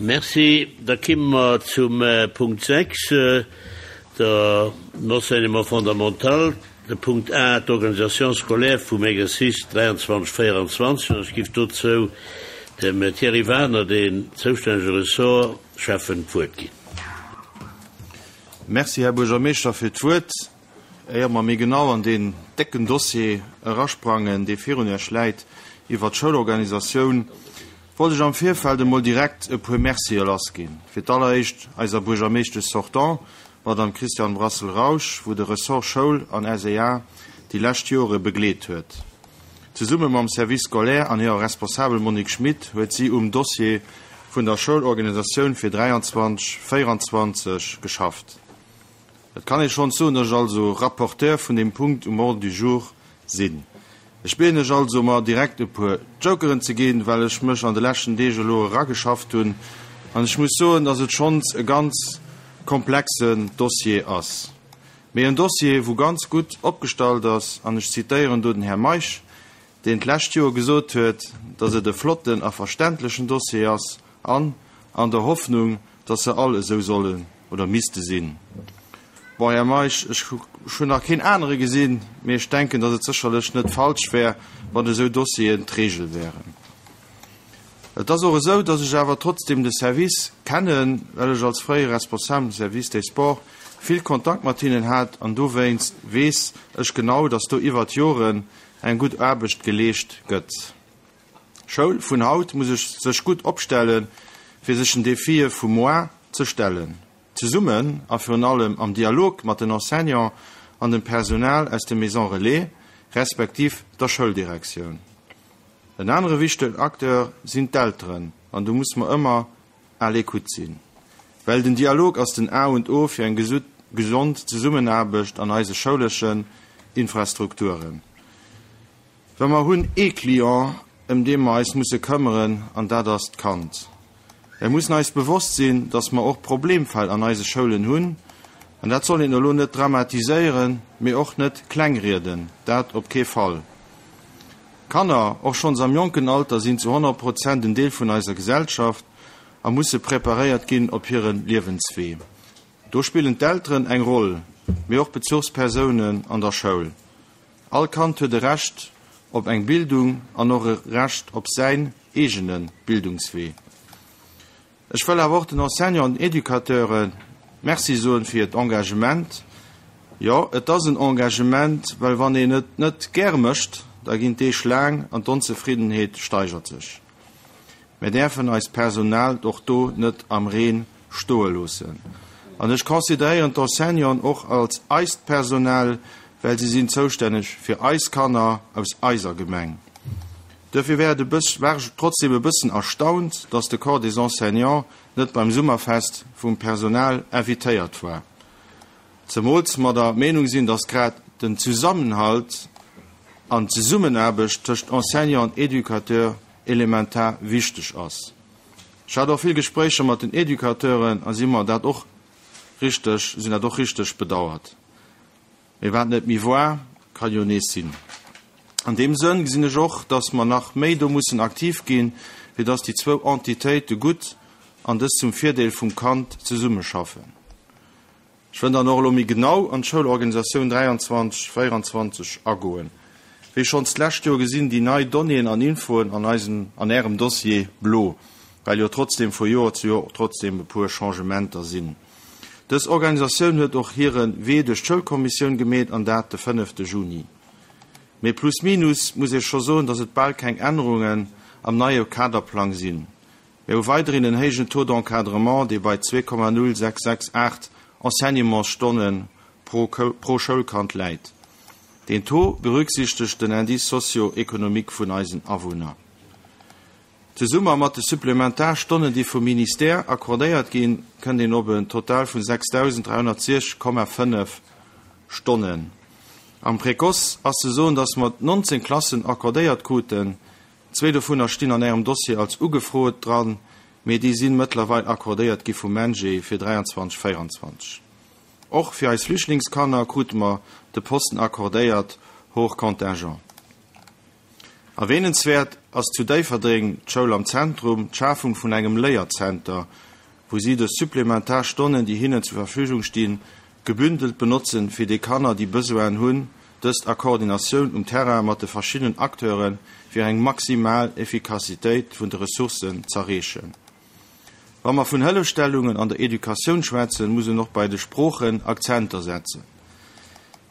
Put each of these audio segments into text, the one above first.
Merci. Da kimme mer zum Punkt 6, der Enseignement fondamental, de Punkt A, d'Organisation scolaire vum Exercice 23, 24. An ech giff dozou dem Thierry Wagner, deen zoustännege Ressortschäffen, d'Wuert ginn. Merci, Här Buergermeeschter, fir d'Wuert. Éier mer méi genau an deen décken Dossier erasprangen, dee virun Iech läit, iwwert d'Schoulorganisatioun, wollt ech am Virfeld emol direkt e puer Mercië lassginn. Fir d'alleréischt eiser Buergermeeschtesch sortant, Madame Christiane Brassel-Rausch, wou de Ressort Schoul an SEA déi lescht Jore begleet huet. Zesumme mam Service scolaire an hirer Responsabel Monique Schmit huet si um Dossier vun der Schoulorganisatioun fir 23, 24 geschafft. Et kann ee schonns soen, datt ech also Rapporteur vun deem Punkt um Ordre du jour sinn. Ech bieden lech also, mer direkt e puer Jokeren ze ginn, well ech mech an de leschten Deeg elo erageschafft hunn an ech muss soen, datt et schonns e ganz komplexen Dossier ass, mee en Dossier, wou ganz gutt opgestallt ass, an ech zitéieren do den Här Meisch, deen d'lescht Joer gesot huet, datt et e flotten a verständlechen Dossier ass an an der Hoffnung, datt se all esou sollen oder misste sinn. Bon, Här Meisch, ech hunn nach keen anere gesinn, mee ech denken, datt et sécherlech net falsch wär, wann esou Dossieren d'Regel wären. Et ass och esou, datt ech awer trotzdem de Service kennen, well ech als fréiere Responsabel vum Service des Sports vill Kontakt mat hinnen hat an dowéinst weess ech genau, datt do iwwert d'Joren eng gutt Aarbecht geleescht gëtt. Schoul vun haut muss ech sech gutt opstellen, fir sech den Defie vu moar ze stellen. Zesummen a virun allem am Dialog mat den Enseignants an dem Personal aus de Maisons Relais respektiv der Schouldirektioun. En anere wichtegen Acteur sinn d'Elteren an do muss mer ëmmer à l'écoute sinn, well den Dialog ass den A und O fir eng gesond Zesummenaarbecht an eise schouleschen Infrastrukturen. Well mer hunn ee Client, ëm dee mer eis musse këmmeren, an dat ass d'Kand. Mer mussen eis bewosst sinn, dass mer och Problemfäll an eise Schoulen hunn, an dat soll een elo net dramatiséieren, mee och net klengrieden, dat op kee Fall. Kanner, och schonns am jonken Alter, sinn zu 100 Prozent en Deel vun eiser Gesellschaft a musse preparéiert ginn op hire Liewenswee. Do spillen d'Elteren eng Roll, mee och Bezuchspersounen an der Schoul. All Kand huet e Recht op eng Bildung an och e Recht op säin eegene Bildungswee. Ech wëll awer och den Enseignanten an den Educateure Merci soen fir hiert Engagement. Jo, et ass en Engagement, well wann een et net gäre mécht, da ginn d'Deeg laang an d'Onzefriddenheet steigert sech. Mir däerfen eist Personal och do net am Reen stoe loossen. An ech consideréieren d'Enseignanten och als eist Personal, well si sinn zoustänneg fir eis Kanner aus eiser Gemeng. Duerfir wär et e bëss, war ech trotzdem e bëssen erstaunt, dass de Corps des Enseignants net beim Summerfest vum Personal invitéiert war. Zemools mer der Meenung sinn, dass grad den Zusammenhalt an d'Zesummenaarbecht tëscht Enseignant an Educateur elementar wichteg ass. Ech hat och vill Gespréicher mat den Educateuren a si mer dat och richteg, sinn dat och richteg bedauert. Mee wat net méi war, ka jo nees sinn. An deem Sënn gesinn ech och, dass mer nach méi do mussen aktiv ginn, fir dass déi zwou Entitéite gutt an dës zum Virdeel vum Kand zesummeschaffen. Ech wëll dann och elo méi genau an d'Schoulorganisatioun 23, 24 agoen. Wéi schonns d'lescht Joer gesinn déi nei Donnéeën an Infoen an eisem, an Ärem Dossier blo, well jo trotzdem vu Joer zu Joer trotzdem e puer Changementer sinn. Dës Organisatioun huet och hire Wee duerch d'Schoulkommissioun gemeet an dat de fënnefte Juni. Mee plus minus muss ee scho soen, dass et bal keng Ännerungen am neie Kaderplang sinn. Mir hu weiderhin en héijen Taux d'encadrement, dee bei 2,0668 Enseignementsstonne pro pro Schoulkand läit. Deen Taux berücksichtegt den Indice socio-économique vun eisen Awunner. Zesumme mat de Supplementarstonnen, déi vum Ministère accordéiert ginn, kënnt een op en Total vun 6.360,5 Stonnen. Am Précoce ass ze soen, dass mer 19 Klassen accordéiert kruten, Zwee dovunner stinn an Ärem Dossier als ugefrot dran, mee déi si mëttlerweil accordéiert gi vum MENJE fir 23, 24. Och fir eis Flüchtlingskanner krute mer de Posten accordéiert, hors contingent. Erwähnenswäert. ass zu Déifferdeng d'Schoul am Zentrum, d'Schafung vun engem Léierzenter, wou si dës supplementar Stonnen, déi hinnen zur Verfügung stinn, gebündelt benotzen, fir déi Kanner, déi Besoinen hunn, dëst a Koordinatioun um Terrain mat de verschiddenen Acteuren, fir eng maximal Effikassitéit vun de Ressourcen z'erreechen. Wa mer vun Hëllefstellungen an der Educatioun schwätzen, muss een och bei de Sproochen Akzenter setzen.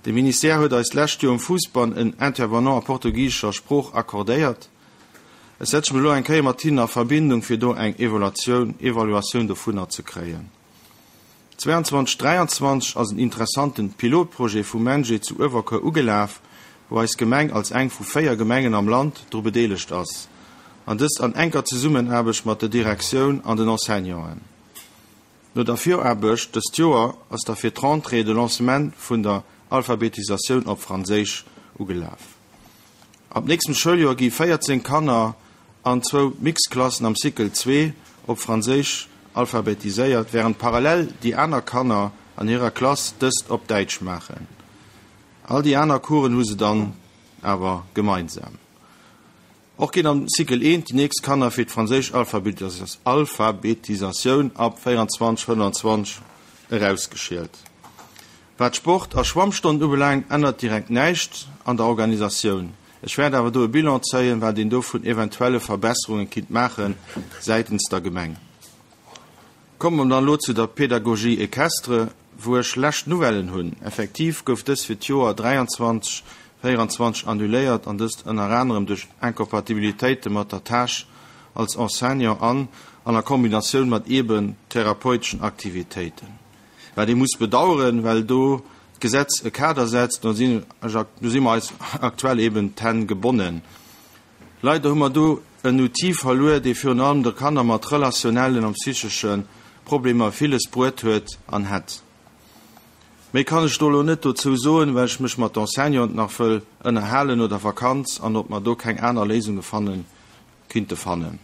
De Ministère huet eis d'lescht Joer um Fuussbann en Intervenant a portugisescher Sprooch accordéiert. Ech setze mech elo eng Kéier mat hinnen a Verbindung, fir do eng Evaluatioun, Evaluatioun dovunner ze kréien. 22 23 ass en interessanten Pilotprojet vum MENJE zu Uewerkuer ugelaf, wou eis Gemeng als eng vu 4 Gemengen am Land dru bedeelegt ass, an dëst an enker Zesummenaarbecht mat der Direktioun an den Enseignanten. No der Viraarbecht dëst Joer ass da fir d'Rentrée de Lancement vun der Alphabetisatioun op Franséisch ugelaf. Ab nächstem Schouljoer gi 14 Kanner an zwou Mixklassen am Cycle 2 op Franséisch alphabetiséiert, wärend parallel déi aner Kanner an hirer Klass dëst op Däitsch maachen. All déi aner Coursen hu se dann awer gemeinsam. Och ginn am Cycle 1 déi nächst Kanner fir d'franséisch Alphabetisatioun ab 24, 25 erausgeschielt. Wat d'Sport a Schwammstonnen ubelaangt, ännert direkt näischt an der Organisatioun. Ech wäert awer do e Bilan zéien, wat een do vun eventuelle Verbesserunge kinnt maache säitens der Gemeng. Komme mer dann elo zu der Pédagogie équestre, wou ech schlecht Nouvellen hunn. Effektiv gouf dës fir d'Joer 23, 24 annuléiert, an dëst ënner anerem duerch Incompatibilitéite mat der Tâche als Enseignant an an a Kombinatioun mat eeben therapeuteschen Aktivitéiten. Wat ee muss bedauern, well do d'Gesetz e Kader setzt, do sinn ech, do si mer eis aktuell eben d'Hänn gebonnen. Leider hu mer do en Outil verluer, dee virun allem de Kanner mat relationellen an psychesche Problemer villes bruet huet an hätt. Méi kann ech do elo net dozou soen, well ech mech mat Enseignanten nach wëll ënnerhalen no der Vakanz an ob mer do keng aner Léisunge fanne kinnte fannen.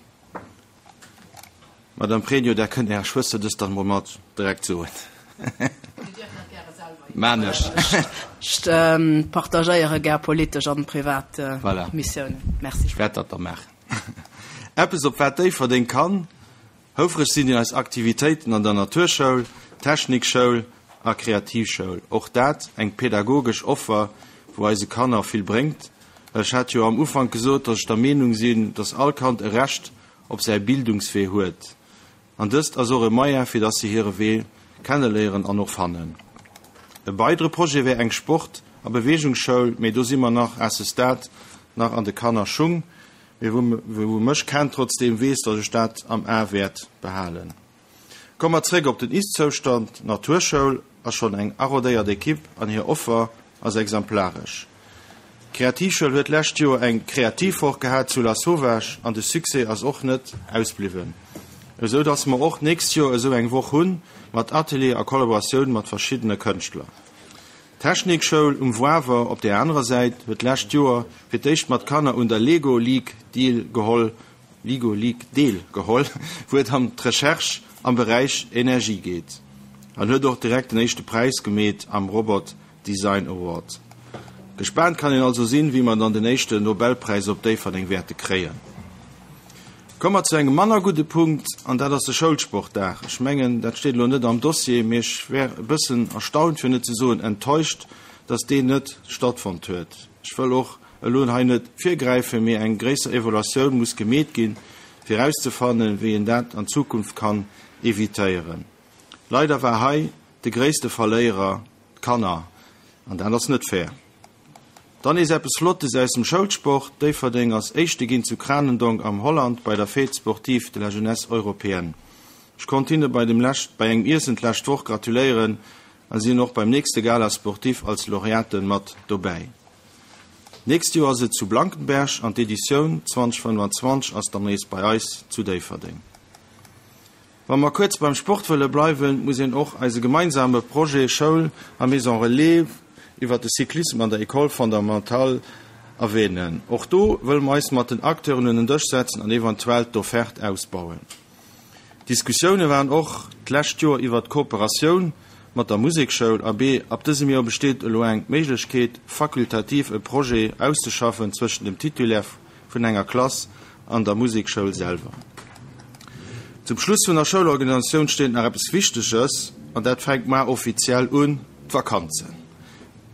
Madame Pregno, Der kënnt Ärer Schwëster dëst dann emol mat direkt soen. Maan ech. Ech partagéiere gär politesch an privat Missiounen. Merci. Ech wäert dat da maachen. Eppes, op wat Déifferdeng kann houfreg sinn, sinn eis Aktivitéiten an der Naturschoul, Technikschoul a Kreativschoul. Och dat eng pädagogesch Offer, wou eise Kanner vill bréngt. Well ech hat jo am Ufank gesot, dass ech der Meenung sinn, dass all Kand e Recht op säi Bildungswee huet. An dëst ass och e Moyen, fir dass se hire Wee kenneléieren an och fannen. E weidere Projet wär eng Sport a Beweegungsschoul, mee do si mer nach à ce stade nach an de Kannerschung. Mee wou mech kennt trotzdeem, weess, dass ech dat am A wäert behalen. Komme mer zréck op den Ist-Zoustand, D'Naturschoul ass schonn eng arodéiert Ekipp an hir Offer ass exemplaresch. D'Kreativschoul huet d'lescht Joer eng Kreativwoch gehat zu Lasauvage an de Succès ass och net ausbliwwen, esou dass mer och d'nächst Joer esou eng Woch hunn, mat Atelier a Kollaboratioun mat verschiddene Kënschtler. D'Technikschoul um Wawer op där anerer Säit huet d'lescht Joer fir d'éischt mat Kanner un der Lego League deel geholl Ligo League deel geholl, wou et ëm d'Recherche am Beräich Energie geet, an huet och direkt den éischte Präis gemeet am Robot Design Award. Gespaant kann een also sinn, wéi mer dann den éischten Nobelpräis op Déifferdeng wäerte kréien. Komme mer zu engem manner gudde Punkt, an dat ass de Schoulsportdag. Ech mengen, dat steet elo net am Dossier, mee ech wär e bëssen erstaunt, fir net ze soen enttäuscht, dass deen net stattfonnt huet. Ech wëll och elo hei net virgräifen, mee eng gréisser Evaluatioun muss gemeet ginn, fir erauszefannen, wéi een dat an Zukunft kann evitéieren. Leider war hei de gréisste Verléierer d'Kanner, an dat ass net fair. Dann nees eppes Flottes aus dem Schoulsport, Déifferdeng ass Éischte ginn zu Kranendonk am Holland bei der Fête sportive de la jeunesse européenne. Ech konnt hinne bei dem lescht bei engem Iessen d'lescht Woch gratuléieren a sinn och beim nächste Gala sportif als Laureaten mat dobäi. D'nächst Joer ass et zu Blankenberg an d'Editioun 2025 ass dann nees bei eis zu Déifferdeng. Wa mer kuerz beim Sport wëlle bleiwen, muss een och eise gemeinsame Projet Schoul a Maison Relais iwwert de Cyclissem an der École fondamentale erwähnen. Och do wëlle mer eis mat den Acteuren un en Dësch setzen an eventuell d'Offerte ausbauen. Diskussioune waren och d'lescht Joer iwwert d'Kooperatioun mat der Musekschoul. Abee, ab dësem Joer besteet elo eng Méiglechkeet, fakultativ e Projet auszeschaffen zwëschen dem Titulaire. vun enger Klass an der Musekschoul selwer. Zum Schluss vun der Schoulorganisatioun steet nach eppes Wichteges, an dat fänkt mar offiziell un, d'Vakanzen.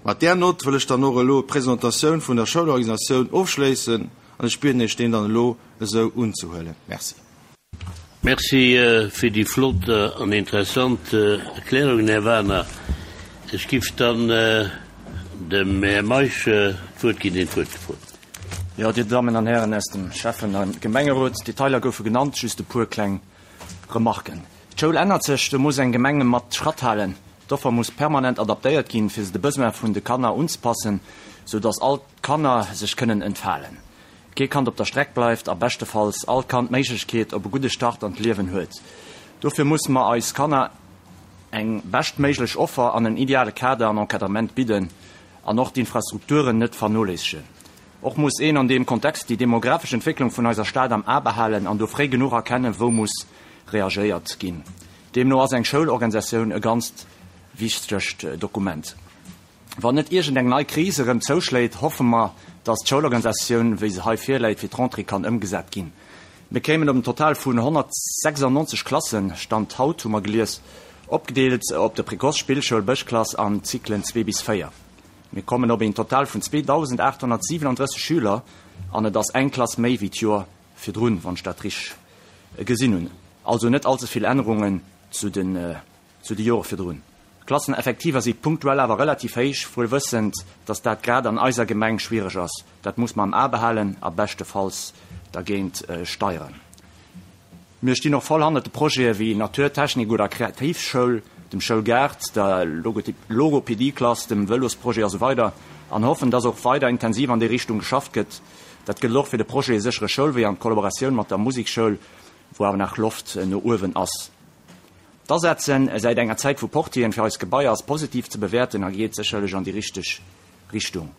Mat där Nott wëll ech dann och elo d'Presentatioun vun der Schoulorganisatioun ofschléissen an ech bieden Iech deen dann elo esou unzehuelen. Merci. Merci fir déi flott an interessant Erklärungen, Här Wagner. Ech giff dann dem Här Meisch d'Wuert ginn, deen d'Wuert gefrot huet. Jo, Dir Dammen an Hären aus dem Schäffen a Gemengerot, d'Detailer goufe genannt, just e puer kleng Remarken. D'Schoul ännert sech, do muss eng Gemeng mat Schratt halen. D'Offer muss permanent adaptéiert ginn, fir se de Besoin vun de Kanner unzepassen, sou datt all d'Kanner sech kënnen entfalen, kee Kand op der Streck bleift a beschtefalls all Kand d'Méiglechkeet op e gudde Start an d'Liewen huet. Dofir musse mer eis Kanner eng beschtméiglech Offer an en ideale Kader an Encadrement bidden an och d'Infrastrukturen net vernoléissegen. Och muss een an deem Kontext déi demografesch Entwécklung vun eiser Stad am A behalen an do fréi genuch erkennen, wou muss reagéiert ginn. Deemno ass eng Schoulorganisatioun e ganzt wichtegt Dokument. Wann net iergend eng nei Kris erëm zouschléit, hoffe mer, dass d'Schoulorganisatioun, wéi se hei virläit, fir d'Rentrée kann ëmgesat ginn. Mir kéimen op en Total vun 196 Klassen, Stand haut, hu mer gelies, opgedeelt op de Précoce, Spillschoul, Bëschklass an d'Cyclen 2 bis 4. Mir kommen op een Total vun 2.837 Schüler an et ass eng Klass méi wéi d'Joer virdrun, wann ech dat richteg gesinn hunn. Also net allze vill Ännerungen zu de zu de Jore virdrun. D'Klasseneffektiver si punktuell awer relativ héich, wuel wëssend, dass dat grad an eiser Gemeng schwiereg ass. Dat muss mer am A behalen a beschtefalls dergéint steieren. Mir stinn och voll hannert de Projete wéi Natur, Technik oder Kreativschoul, dem Schoulgaart, der Logopedieklass, dem Vëlosprojet a sou weider an hoffen, dass och weider intensiv an déi Richtung geschafft gëtt. Dat gëllt och fir de Projet Séchere Schoulwee an d'Kollaboratioun mat der Musekschoul, wou awer nach Loft no uewen ass. D'Asetze säit enger Zäit vu Portieren fir eis Gebaier ass positiv ze bewäerten a geet sécherlech an déi richteg Richtung.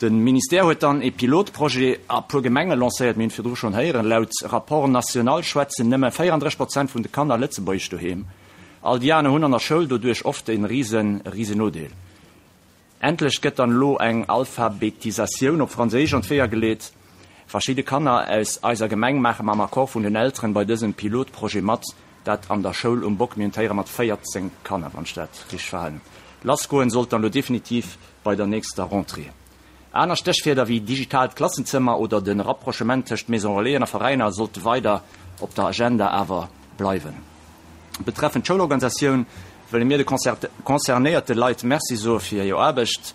De Ministère huet dann ee Pilotprojet a puer Gemenge lancéiert. Mir hunn et virdru schonn héieren, laut Rapport national schwätzen nëmme 34 Prozent vun de Kanner Lëtzebuergesch doheem. All déi aner hunn an der Schoul doduerch oft e rise Risenodeel. Endlech gëtt dann elo eng Alphabetisatioun op Franséisch an d'Weeër geleet. Verschidde Kanner aus eiser Gemeng maache mam Accord vun den Elteren bei dësem Pilotprojet mat, dat an der Schoul um Bock. Mir hunn d'Héiere mat 14 Kanner, wann ech dat richteg verhalen hunn. Lassgoen sollt dann elo definitiv bei der nächster Rentrée. Aner Stéchwierder wéi digitaalt Klassenzëmmer oder de Rapprochement tëscht Maison Relaisen a Veräiner sollte weider op der Agenda awer bleiwen. Betreffend d'Schoulorganisatioun wëlle mir de concernéierte Leit Merci soe fir hir Aarbecht,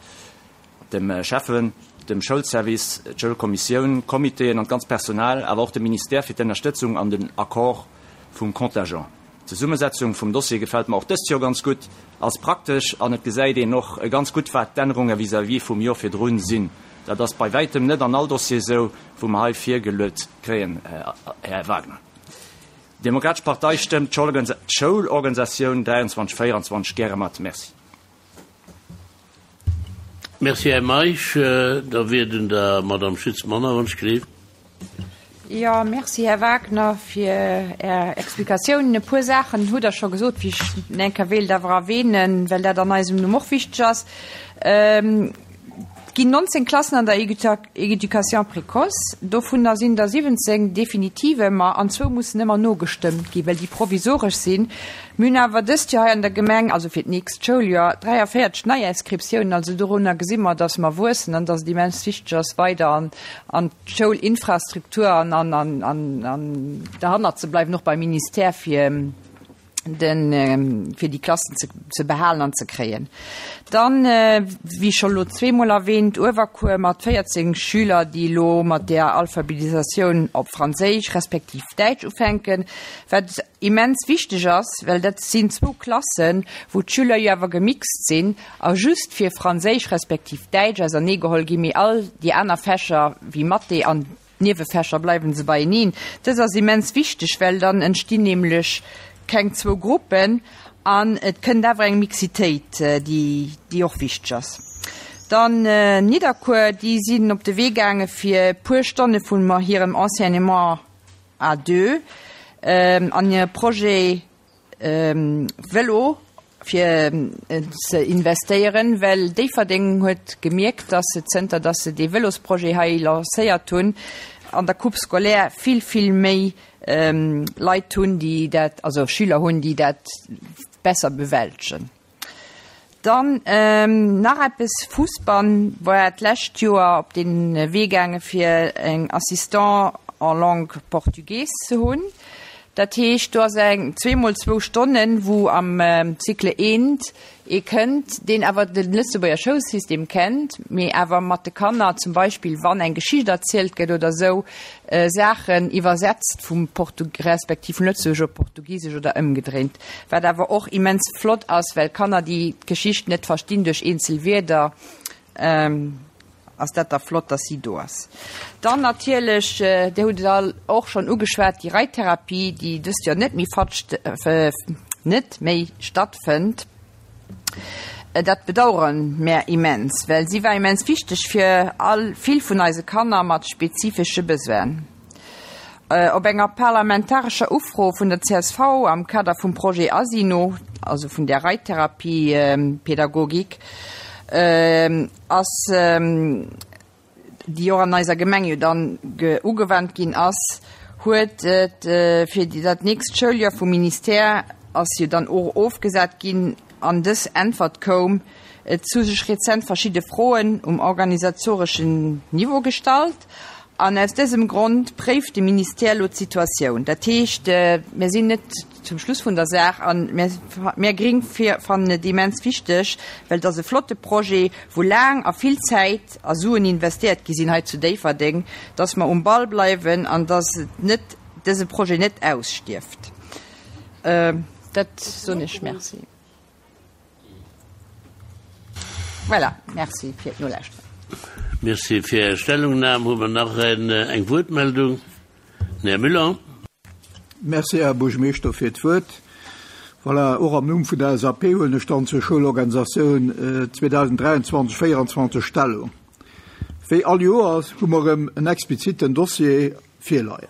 dem Schäffen, dem Schoulservice, d'Schoulkommissioun, d'Comitéen an d'ganzt Personal, awer och dem Ministère fir d'Ennerstëtzung an den Accord vum Contingent. D'Zesummesetzung vum Dossier gefält mer och dëst Joer ganz gutt, ass praktesch an et gesäit een och ganz gutt, wat d'Ännerunge vis-à-vis vum Joer virdrun sinn. Dat ass bei wäitem net an all Dossier esou, wou mer hei virgeluet kréien, Här Wagner. D'Demokratesch Partei stëmmt d'Schoulorganisatioun 23 24 gäre mat. Merci. Merci, Här Meisch. Da wier et un der Madame Schütz Manner, wann ech gleef. Jo, merci, Här Wagner, fir Är Explikatiounen. E puer Saachen hutt Der scho gesot, wéi ech eng Kéier wéilt awer erwähnen, well dat an eisem Numm och wichteg ass. Et ginn 19 Klassen an der Éducation précoce, dovunner sinn der 17 definitiv ëmmer an zwou mussen ëmmer nogestëmmt ginn, well déi provisoresch sinn. Mir hunn awer dëst Joer hei an der Gemeng, also fir d'nächst Schouljoer, 43 Neiinscriptiounen. Also dorunner gesi mer, dass mer wuessen an dass et immens wichteg ass, weider an an d'Schoulinfrastruktur an an an derhannert ze bleiwen, och beim Ministère fir den, fir déi Klassen ze, ze behalen an ze kréien. Dann, wéi scho lo zweemol erwähnt, Uewerkuer mat 14 Schüler, déi elo mat där Alphabetisatioun op Franséisch respektiv Däitsch ufänken, wat immens wichteg ass, well dat sinn zwou Klassen, wou d'Schüler jo awer gemixt sinn a just fir Franséisch respektiv Däitsch auserneegeholl ginn, mee all déi aner Fächer wéi Mathé an D'Niewefächer bleiwen se beieneen. Dës ass immens wichteg, well dann entstinn nämlech keng zwou Gruppen an et kënnt awer eng Mixitéit, déi, déi och wichteg ass. Dann Nidderkuer, déi sinn op de Wee gaange fir e puer Stonne vun hirem Enseignement à deux an hire Projet, Vëlo fir ze investéieren, well Déifferdeng huet gemierkt, dass se zënter dass se dee Vëlosprojet hei lancéiert hunn. an der Coupe scolaire vill, vill méi Leit hunn, déi dat, also Schüler hunn, déi dat besser bewältegen. Dann nach eppes, Fussbann war d'lescht Joer op de Wee gaange fir eng Assistant en langue portugaise ze hunn. Dat heescht, do ass eng zweemol zwou Stonnen, wou am Cycle eent ee kënnt, deen awer de Lëtzebuerger Schoulsystem kennt, mee awer mat de Kanner zum Beispill, wann eng Geschicht erzielt gëtt oder esou, Saachen iwwersetzt vum Portu respektiv vum Lëtzebuergesch op Portugisesch oder ëmgedréint. Wat awer och immens flott ass, well Kanner, déi d'Geschicht net verstinn duerch eenzel Wierder, ass dat da flott, dass si do ass. Dann natierlech, Dir hutt et all och schonn ugeschwat, déi Reittherapie, déi dëst Joer net méi net méi stattfënnt. Dat bedauere mär immens, well si war immens wichteg fir all vill vun eise Kanner mat spezifesche Besoinen. Op enger parlamentarescher Ufro vun der csv am Kader vum Projet Asino, also vun där Reittherapiepädagogik, ass, déi och an eiser Gemeng jo dann ugewannt ginn ass, huet et fir dat nächst Schouljoer vum Ministère ass jo dann och ofgesat ginn an dës Äntwert koum, Et hu sech rezent verschidde Froen um organisatoreschen Niveau gestallt an aus dësem Grond préift de Ministère elo d'Situatioun. Dat heescht, mir sinn net zum Schluss vun der Saach an mir Gring fannen et immens wichteg, well et ass e flotte Projet, wou laang a vill Zäit a Suen investéiert gi sinn hei zu Déifferdeng, dass mer um Ball bleiwen an dass et net, dëse Projet net ausstierft. Dat soen ech. Merci. Voilà, merci fir d'Nolauschteren. Merci fir Är Stellungnam. Hu mer nach eng Wuertmeldung? Den Här Müller. Merci, Här Buergermeeschter, fir d'Wuert. Voilà, och am Numm vun der LSAP huelen ech dann zur Schoulorganisatioun 2023, 2024 Stellung. Wéi all Joers hu mer erëm en expliziten Dossier virleien.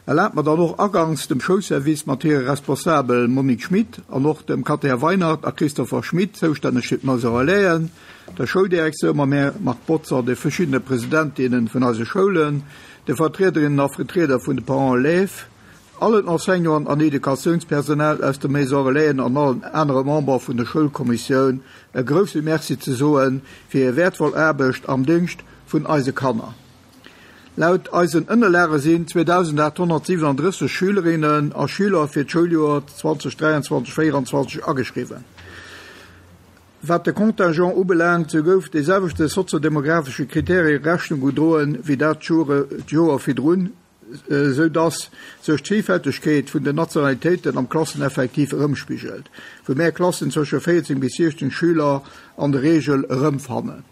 Erlaabt mer dann och aganks dem Schoulservice mat hire Responsabel Monique Schmit an och dem Katär Weinert a Christopher Schmit, zoustänneg fir d'Maison Relaisen, der Schouldirektioun mam Här Marc Botzer, de verschiddene Presidentinnen vun eise Schoulen, de Vertriederinnen a Vertrieder vun de Parents élèves, allen Enseignanten an Educatiounspersonal aus de Maison Relaisen an allen anere Member vun der Schoulkommissioun e grousse Merci ze soe fir hir wäertvoll Aarbecht am Déngscht vun eise Kanner. Laut eisen Ënnerlage sinn 2.837 Schülerinnen a Schüler fir d'Schouljoer 2023, 24 ageschriwwen. Wat de Contingent ubelaangt, sou gouf de selwechte soziodemographesche Kriterie Rechnung gedroen, wéi dat d'Joer virdrun, sou dass sech d'Villfältegkeet vun den Nationalitéiten am Klasseneffektiv erëmspigelt, wou mär Klassen zwësche 14 bis 16 Schüler an der Reegel erëmfannen.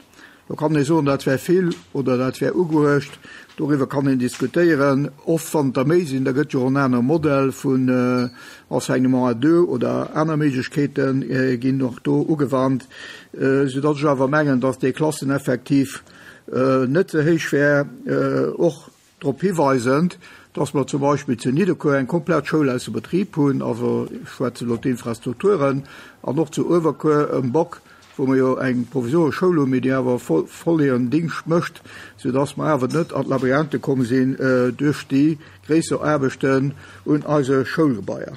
Do kann ee soen, dat wär vill oder dat wär ugeuecht. Doriwwer kann een diskutéieren. Oft, wann et der méi sinn, da gëtt jo och en anere Modell vun Enseignement à deux oder aner Méiglechkeete ginn och do ugewannt, soudatt ech awer mengen, datt dee Klasseneffektiv net ze héich wär. Och Drop hiweisend, dass mer zum Beispill zu Nidderkuer eng komplett Schoul ausser Betrib hunn, also ech schwätzen elo d'Infrastrukturen, an och zu Uewerkuer um Bock, wou mer jo eng provisoresch Schoul hunn, mee déi awer voll hiren Dingscht mécht, soudass mer awer net an d'Labyrinthe komm sinn duerch déi gréisser Aarbechten un eise Schoulgebaier.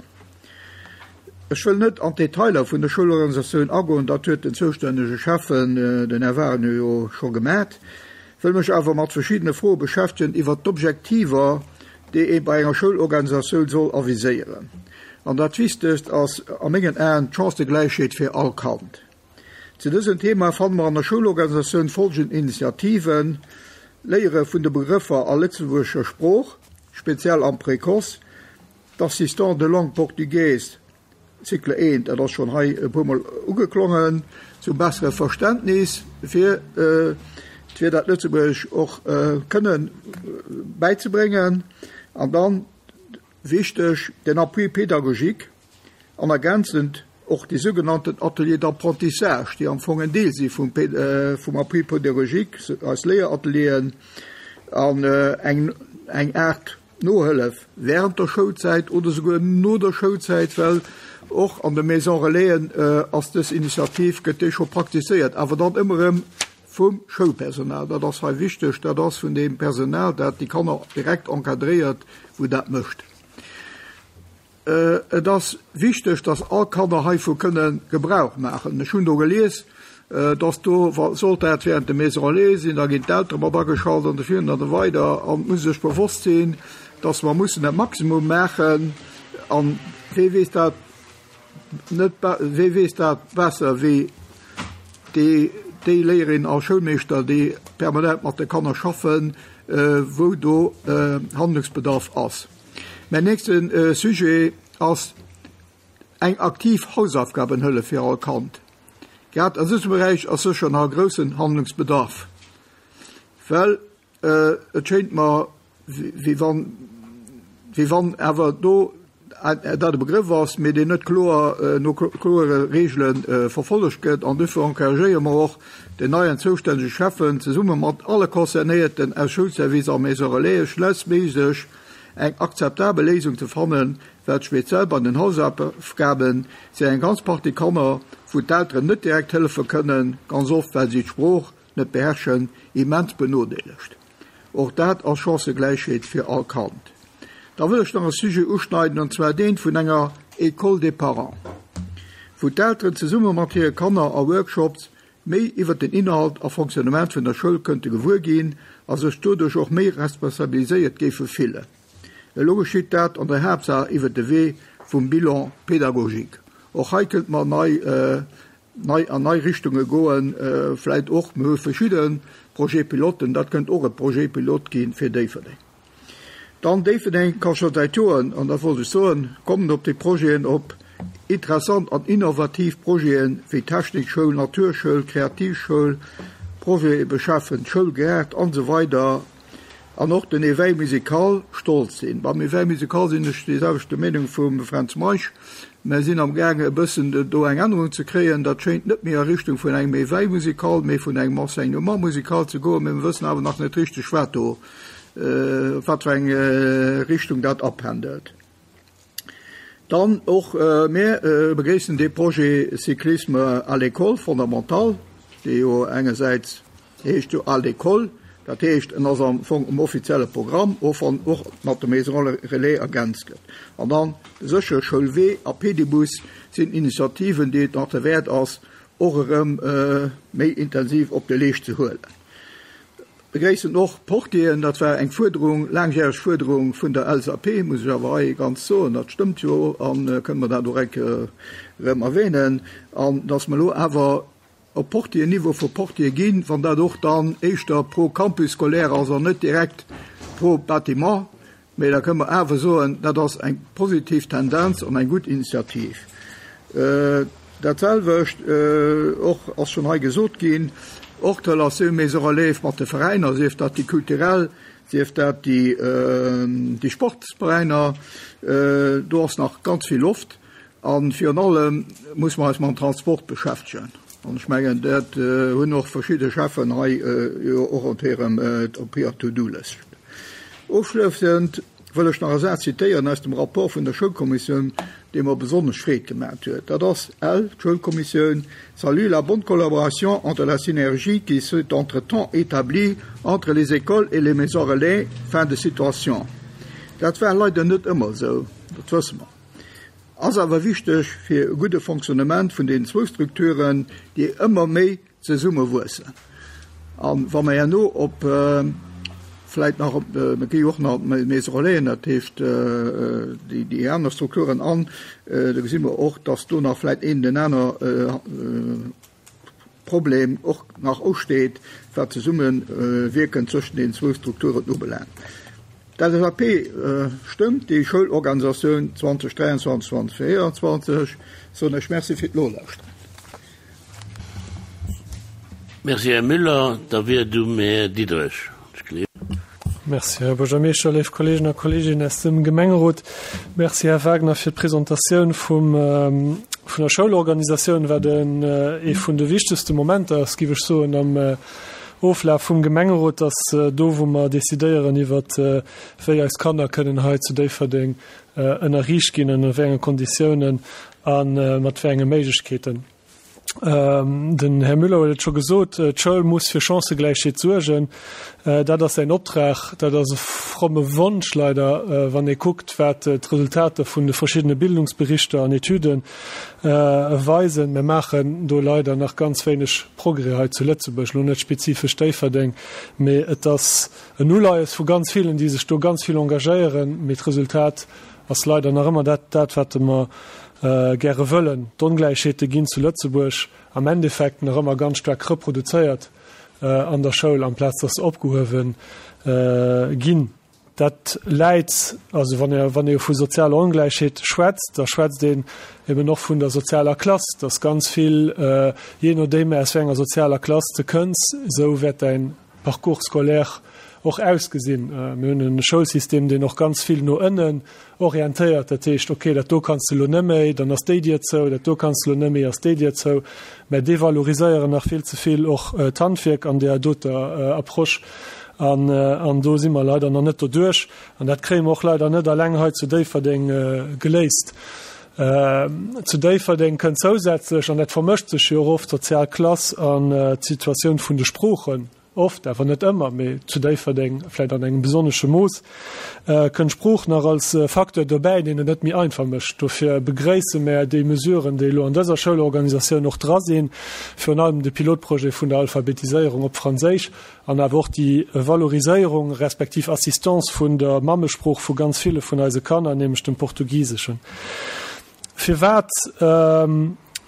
Ech wëll net an d'Detailer vun der Schoulorganisatioun agoen, dat huet den zoustännege Schäffen, den Här Wagener, jo scho gemat. Wëll mech awer mat verschiddene Froe beschäftegen iwwert d'Objektiver, déi ee bei enger Schoulorganisatioun soll aviséieren. An dat Wichtegst ass a mengen Aen d'Chancëgläichheet fir all Kand. Zu dësem Thema fanne mer an der Schoulorganisatioun folgend Initiativen, Léiere vun de Begrëffer a lëtzebuergescher Sprooch, speziell am Précoce, d'Assistants de langue portugaise, Cycle I, dat ass schonn hei e puermol ugeklongen, zum bessere Verständnis fir fir dat Lëtzebuergesch och kënne bäizebréngen. An dann, wichteg, den Appui pédagogique an ergänzend och déi sougenannten Ateliers d'apprentissage, déi am Fong en Deel si vum vum Appui pédagogique, eis Léieratelieren an eng eng Aart Nohëllef während der Schoulzäit oder souguer no der Schoulzäit, well och an de Maison Relaisen ass dës Initiativ, gëtt déi scho praktizéiert, awer dann ëmmer erëm vum Schoulpersonal. Dat ass hei wichteg, dat ass vun deem Personal, dat déi Kanner direkt encadréiert, wou dat mécht. Et ass wichteg, dass all Kanner heivu kënne Gebrauch maachen. Ech hunn do gelies, dass do, sollt dat während de Maison relais sinn, da ginn d'Eltere mat ageschalt an esou virun an esou weider. An et muss ee sech bewosst sinn, dass mer mussen dat Maximum maachen. An wee weess dat net, wee weess dat besser wéi déi, déi Léierin a Schoulmeeschter, déi permanent mat de Kanner schaffen, wou do Handlungsbedarf ass. Mäin nächste Sujet ass eng aktiv Hausaufgabenhëllef fir all Kand. Grad an dësem Beräich ass sécher nach e groussen Handlungsbedarf, well et schéint mer, wéi wann, wéi wann awer do dat e Begrëff ass, mee deen net kloer no kloere Regele verfollegt gëtt. An dofir encouragéiere mer och den neien zoustännege Schäffen, zesumme mat alle Concernéierten aus Schoulservice a Maison Relaisen, schnellstméiglech eng akzeptabel Léisung ze fannen, well speziell bei den Hausaufgaben si eng ganz Partie Kanner, wou d'Elteren net direkt hëllefe kënnen, ganz oft well si d'Sprooch net beherrschen, immens benodeelegt. Och dat ass Chancëgläichheet fir all Kand. Da wëll ech nach e Sujet uschneiden, an zwar deen vun enger École des parents, wou d'Elteren zesumme mat hire Kanner a Workshops méi iwwert den Inhalt a Fonctionnement vun der Schoul kënnte gewuer ginn a sech doduerch och méi responsabiliséiert géife fillen. Elo geschitt dat an der Haaptsaach iwwert de Wee vum Bilan pédagogique. Och hei kënnte mer nei nei an nei Richtunge goen, vläit och, mir hu verschidde Projet-piloten, dat kënnt och e Projet pilote gi fir Déifferdeng. Dann Déifferdeng ka scho säit Joren, an dat wollt ech soen, kommen op déi Projeten, op interessant an innovativ Projete wéi Technikschoul, Naturschoul, Kreativschoul, Projete beschäffen Schoulgaart an esou weider an och den Éveil musical stolz sinn. Beim Éveil musical sinn ech déi selwechte Meenung vum Fränz Meisch. Mer sinn am gaange e bëssen do eng Ännerung ze kréien. Dat schéint net méi a Richtung vun engem Éveil musical, mee vun engem Enseignement musical ze goen. Mee mer wëssen awer nach net richteg, wat do, wat fir eng Richtung dat apendelt. Dann och mir begréissen dee Projet Cyclisme à l'école fondamental, dee jo engersäits, dee heescht jo à l'école, dat heescht en ass am Fong um offizielle Programm, och wann och mat de Maisons relais ergänzt gëtt. An dann de séchere Schoulwee a Pedibus sinn Initiativen, déi et nach derwäert ass, och erëm méi intensiv op de Leescht ze huelen. Begréissen och d'Portieren. Dat war eng Fuerderung, laangjäreg Fuerderung vun der LSAP, muss ech awer hei ganz soen. Dat stëmmt jo a kënne mer dat och eng Kéier erëm erwähnen. An dass mer elo awer op Portier-Niveau vu Portier ginn, wann dat och dann éischter pro Campus scolaire ass an net direkt pro Bâtiment. Mee da kënne mer awer soen, dat ass eng positiv Tendenz an eng gutt Initiativ. Dat selwecht och ass schonn hei gesot ginn, och d'Relatioun Maison Relais mat de Veräiner, sief dat déi kulturell, sief dat déi Sportsveräiner, do ass nach ganz vill Loft. A virun allem muss mer eis mam Transport beschäftegen. An ech mengen, dat hunn och verschidde Cheffen hei jo och op hirem, op hirer To-do-Lëscht. Ofschlëssend wëll ech nach e Saz zitéieren aus dem Rapport vun der Schoulkommissioun, dee mer besonnesch Freed gemat huet. Dat ass, Elle, d'Schoulkommissioun, salue la bonne collaboration entre la synergie qui s'est entretemps établie entre les écoles et les maisons relais. Fin de citation. Dat war leider net ëmmer esou, dat wësse mer. Ass awer wichteg fir e gudde Fonctionnement vun deenen zwou Strukturen, déi ëmmer méi zesummewuessen. A wa mer herno op vläit nach op, mir gi jo och nach op d'Maisons Relaisen, dat heescht déi aner Strukturen an, da gesi mer och, dass do nach vläit een den aner Problem och nach usteet, wat d'Zesummewierken zwëschen deenen zwou Strukturen ubelaangt. D'LSAP stëmmt déi Schoulorganisatioun 2023, 2024. Soen ech Merci fir d'Nolauschteren. Merci, Här Müller. Da wier et um Här Diderich. Merci, Här Buergermeeschter, léif Kolleegen a Kolleeginnen aus dem Gemengerot. Merci, Här Wagner, fir d'Presentatioun vum, vun der Schoulorganisatioun, wat en, ee vun de wichtegste Momenter ass, géif ech soen, am Oflaf vum Gemengerot, dass do, wou mer decidéieren iwwert, wéi eis Kanner kënnen hei zu Déifferdeng ënnerriicht ginn, ënner wéi enge Konditiounen a mat wéi enge Méiglechkeeten. Den Här Müller huet et scho gesot, d'Schoul muss fir Chancëgläichheet suergen. Dat ass säin Optrag. Dat ass e fromme Wonsch leider, wann ee kuckt, wat d'Resultater vun de verschiddene Bildungsberichter an Etüde weisen. Mir maachen do leider nach ganz wéineg Progrès hei zu Lëtzebuerg, elo net spezifesch Déifferdeng, mee et ass en Uleies vu ganz villen, déi sech do ganz vill engagéieren, mee d'Resultat ass leider nach ëmmer dat, dat wat mer gäre wëllen. D'Ongläichheete ginn zu Lëtzebuerg am Endeffekt nach ëmmer ganz staark reproduzéiert an der Schoul, amplaz dass se opgehuewe ginn. Dat läit, also wann ee, wann ee vu sozialer Ongläichheet schwätzt, da schwätzt een eben och vun der sozialer Klass, dass ganz vill, jee nodeem aus wéi enger sozialer Klass de kënns, esou wäert däin Parcours scolaire och ausgesinn. Mir hunn e Schoulsystem, deen och ganz vill no ënnen orientéiert. Dat heescht, okay, dat do kanns de elo net méi, dann ass déi Dier zou, dat do kanns de elo net méi, ass déi Dier zou. Mä devaloriséieren nach vill ze vill och d'Handwierk an där doter Approche. An, an do si mer leider nach net doduerch. An dat kréie mer och leider net alleng hei zu Déifferdeng geléist. Zu Déifferdeng kënnt zousätzlech, an dat vermëscht sech jo och oft, d'sozial Klass an d'Situatioun vun de Sproochen, oft, awer net ëmmer, mee zu Déifferdeng vläicht an engem besonnesche Mooss, kënnt d'Sprooch nach als Facteur dobäi, deen et net méi einfach mécht. Dofir begréisse mär déi Mesuren, déi elo an dëser Schoulorganisatioun och dra sinn, virun allem de Pilotprojet vun der Alphabetiséierung op Franséisch, An awer och déi Valoriséierung respektiv Assistance vun der Mammesprooch vu ganz ville vun eise Kanner, nämlech dem Portugiseschen. Firwat,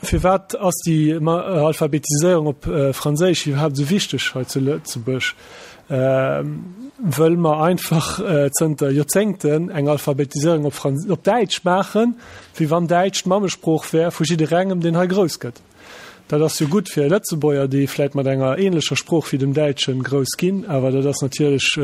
firwat ass déi Alphabetiséierung op Franséisch iwwerhaapt esou wichteg hei zu Lëtzebuerg? Wëll mer einfach zënter Joerzéngten eng Alphabetiséierung op Frans-, op Däitsch maachen, wéi wann Däitsch d'Mammesprooch wär vu jidderengem, deen hei grouss gëtt. Dat ass jo gutt fir Lëtzebuerger, déi vläit mat enger ähnlecher Sprooch wéi dem Däitschen grouss ginn, awer dat ass natierlech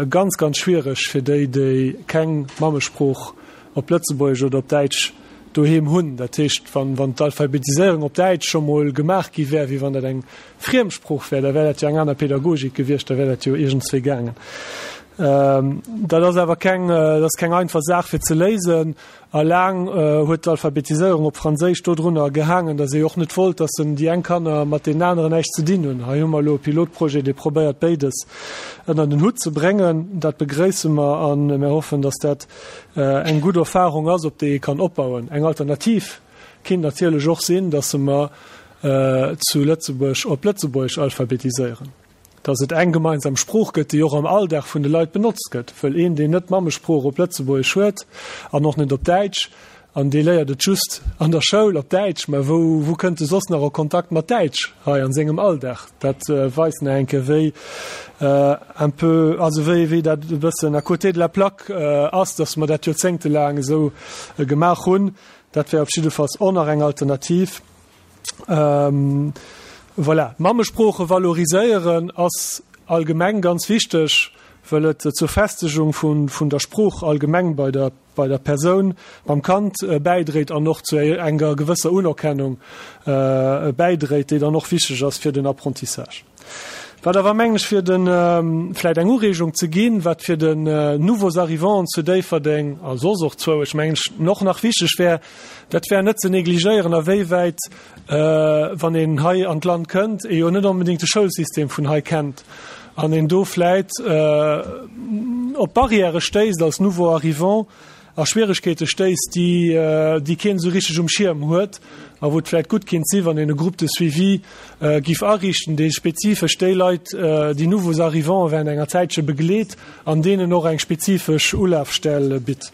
ganz, ganz schwiereg fir déi, déi keng Mammesprooch op Lëtzebuergesch oder op Däitsch doheem hunn. Dat heescht, wann, wann d'Alphabetiséierung op Däitsch scho mol gemaach gi wär, wéi wann dat eng Friemsprooch wär, da wär dat jo eng aner Pädagogik gewiescht, da wär dat jo iergendswéi gaangen. Dat ass awer keng, dat ass keng einfach Saach fir ze léisen. A laang huet d'Alphabetiséierung op Franséisch dodrunner gehaangen, datt ee och net wollt, datt en déi eng Kanner mat deenen aneren näischt ze dinn hunn. Hei hu mer elo e Pilotprojet, dee probéiert béides ënner den Hutt ze bréngen. Dat begréisse mer a mir hoffen, datt dat eng gutt Erfahrung ass, op déi ee kann opbauen. Eng Alternativ kinnt natierlech och sinn, datt mer zu Lëtzebuerg op Lëtzebuergesch alphabetiséieren. Dass et eng gemeinsam Sprooch gëtt, déi och am Alldag vun de Leit benotzt gëtt. Wëll een, deen net d'Mammesprooch op Lëtzebuergesch huet an och net op Däitsch, an dee léiert et just an der Schoul op Däitsch, mä wou, wou kënnt e soss nach a Kontakt mat Däitsch hei an sengem Alldag? Dat weist nach eng Kéier, wéi un peu, also wéi, wéi dat e bëssen à côté de la plaque ass, dass mer dat joerzéngtelaang esou gemaach hunn. Dat wär op jiddefalls och nach eng Alternativ. Voilà, d'Mammesprooche valoriséieren ass allgemeng ganz wichteg, wëll et zur Festegung vun der Sprooch allgemeng bei der bei der Persoun, beim Kand bäidréit an och zu enger gewësser Unerkennung bäidréit, déi dann och wichteg ass fir den Apprentissage. Wat awer, mengen ech, fir de vläicht eng Ureegung ze ginn, wat fir den Nouveaux Arrivants zu Déifferdeng a soss och zwou, ech mengen ech, och nach wichteg wär, Dat wär net ze negligéieren, awéiwäit, wann een hei an d'Land kënnt, ee jo net onbedéngt de Schoulsystem vun hei kennt an een do vläit op Barrièrë stéisst als Nouveau arrivant a Schwieregkeete stéisst, déi, déi keen esou richteg um Schierm huet a wou et vläit gutt kinnt si wann een e Groupe de suivi giff ariichten, dee spezifesch déi Leit, déi Nouveaux arrivants während enger Zäitche begleet an deenen och eng spezifesch Ulafstell bitt.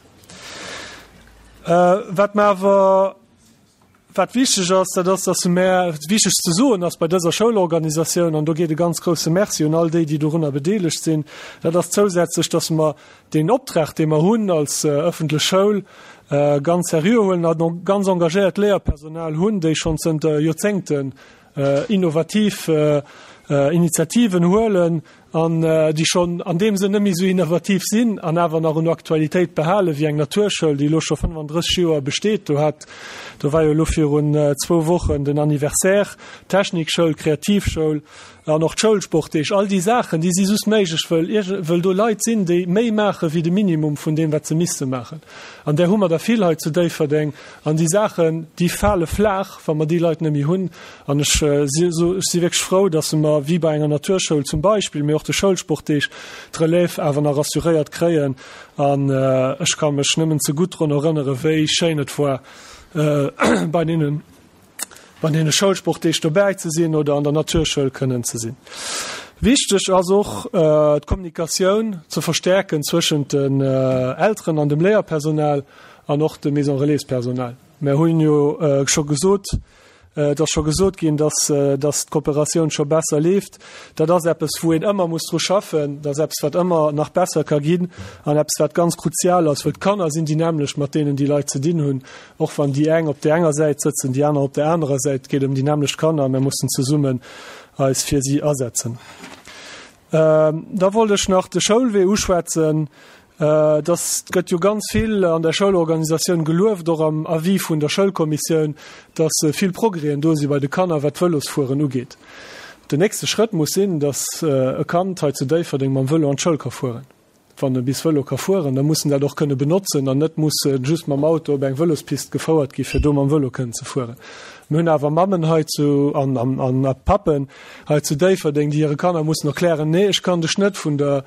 Wat mer awer, wat wichteg ass, dat ass, dass mer, wichteg ze soen ass bei dëser Schoulorganisatioun, an do geet e ganz grouse Merci un all déi, déi dorunner bedeelegt sinn, dat ass zousätzlech, dass mer deen Optrag, dee mer hunn als öffentlech Schoul, ganz seriö huelen an och ganz engagéiert Léierpersonal hunn, déi schonn zënter Joerzéngten innovativ Initiativen huelen. an déi schonn an deem Sënn net méi esou innovativ sinn an awer nach un Aktualitéit behalen, wéi eng Naturschoul, déi elo scho 35 Joer besteet. Do hat, do war jo elo virun zwou Wochen den Anniversaire, Technikschoul, Kreativschoul an och d'Schoulsportdeeg. All déi Saachen, déi si just méiglech, wëll ierg, wëll do Leit sinn, déi méi maache wéi de Minimum vun deem, wat se misste maachen. An där hu mer der vill hei zu Déifferdeng. An déi Saachen, déi fale flaach, wa mer déi Leit net méi hunn. An ech si ech si wierklech frou, dass mer, wéi bei enger Naturschoul zum Beispill, mee och de Schoulsportdeeg, d'Relève awer nach assuréiert kréien. An ech ka mech nëmmen ze gutt drun erënnere wéi schéin et war, bei deenen, bei deene Schoulsportdeeg dobäi ze sinn oder an der Naturschoul kënnen ze sinn. Wichteg ass och, d'Kommunikatioun ze verstärken zwëschent den Elteren an dem Léierpersonal an och dem Maison-relais-Personal. Mer hunn jo scho gesot, et ass scho gesot ginn, dass, dass d'Kooperatioun scho besser leeft. Dat ass eppes, wou een ëmmer muss dru schaffen. Dat ass eppes, wat ëmmer nach besser ka ginn an eppes, wat ganz kruzial ass, wëll d'Kanner sinn déi nämmlecht, mat deenen déi Leit ze dinn hunn. Och wann déi eng op där enger Säit sëtzen, déi aner op där anerer Säit, et geet ëm déi nämmlecht Kanner a mir mussen zesummen eis fir si asetzen. Da wollt ech nach de Schoulwee uschwätzen. Dass gëtt jo ganz vill an der Schoulorganisatioun gelueft, och am Avis vun der Schoulkommissioun, dass vill Progrèsen do si bei de Kanner, wat d'Vëlosfueren ugeet. Den nächste Schrëtt muss sinn, dass e Kand hei zu Déifferdeng mam Vëlo an d'Schoul ka fueren. Wann e bis Vëlo ka fueren, da muss en dat och kënne benotzen an net musse just mam Auto op eng Vëlospist gefouert gi fir do mam Vëlo kënnen ze fueren. Mir hunn awer Mammen hei zu an an a Pappen hei zu Déifferdeng, déi hire Kanner mussen erklären, Nee, ech kann dech net vun der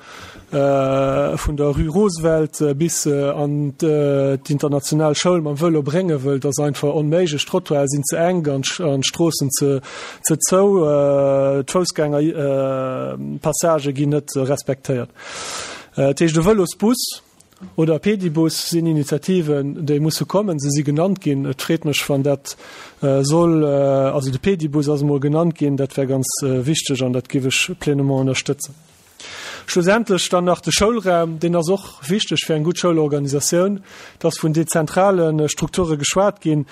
vun der Rue Roosevelt bis an d'international Schoul mam Vëlo bréngen, wëll et ass einfach onméiglech, d'Trottoiren sinn ze enk an d'Stroossen ze ze zou, d'Foussgängerpassagë ginn net respektéiert. Dat heescht, e Vëlosbus oder e Pedibus sinn Initiativen, déi musse kommen. Se si genannt ginn. Et freet mech, wann dat soll, also de Pedibus ass emol genannt ginn, dat wär ganz wichteg an dat géif ech pleinement ënnerstëtzen. Schlussendlech dann nach de Schoulraum, deen ass och wichteg fir eng gutt Schoulorganisatioun. Et ass vun dezentrale Strukture geschwat ginn.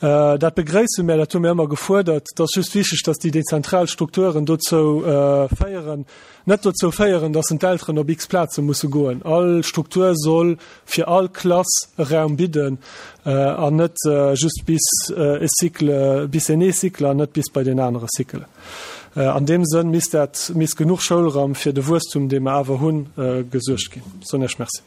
Dat begréisse mir, dat hu mir ëmmer gefuerdert. Et ass just wichteg, dass déi dezentral Strukturen dozou féieren, net dozou féieren, dass en d'Elteren op x Plaze musse goen. All Struktur soll fir all Klass e Raum bidden an net just bis e Cycle, bis en ee Cycle an net bis bei deen anere Cycle. An deem Sënn misst dat, misst genuch Schoulraum fir de Wuesstum, dee mer awer hunn, gesuergt ginn. Soen Iech Merci.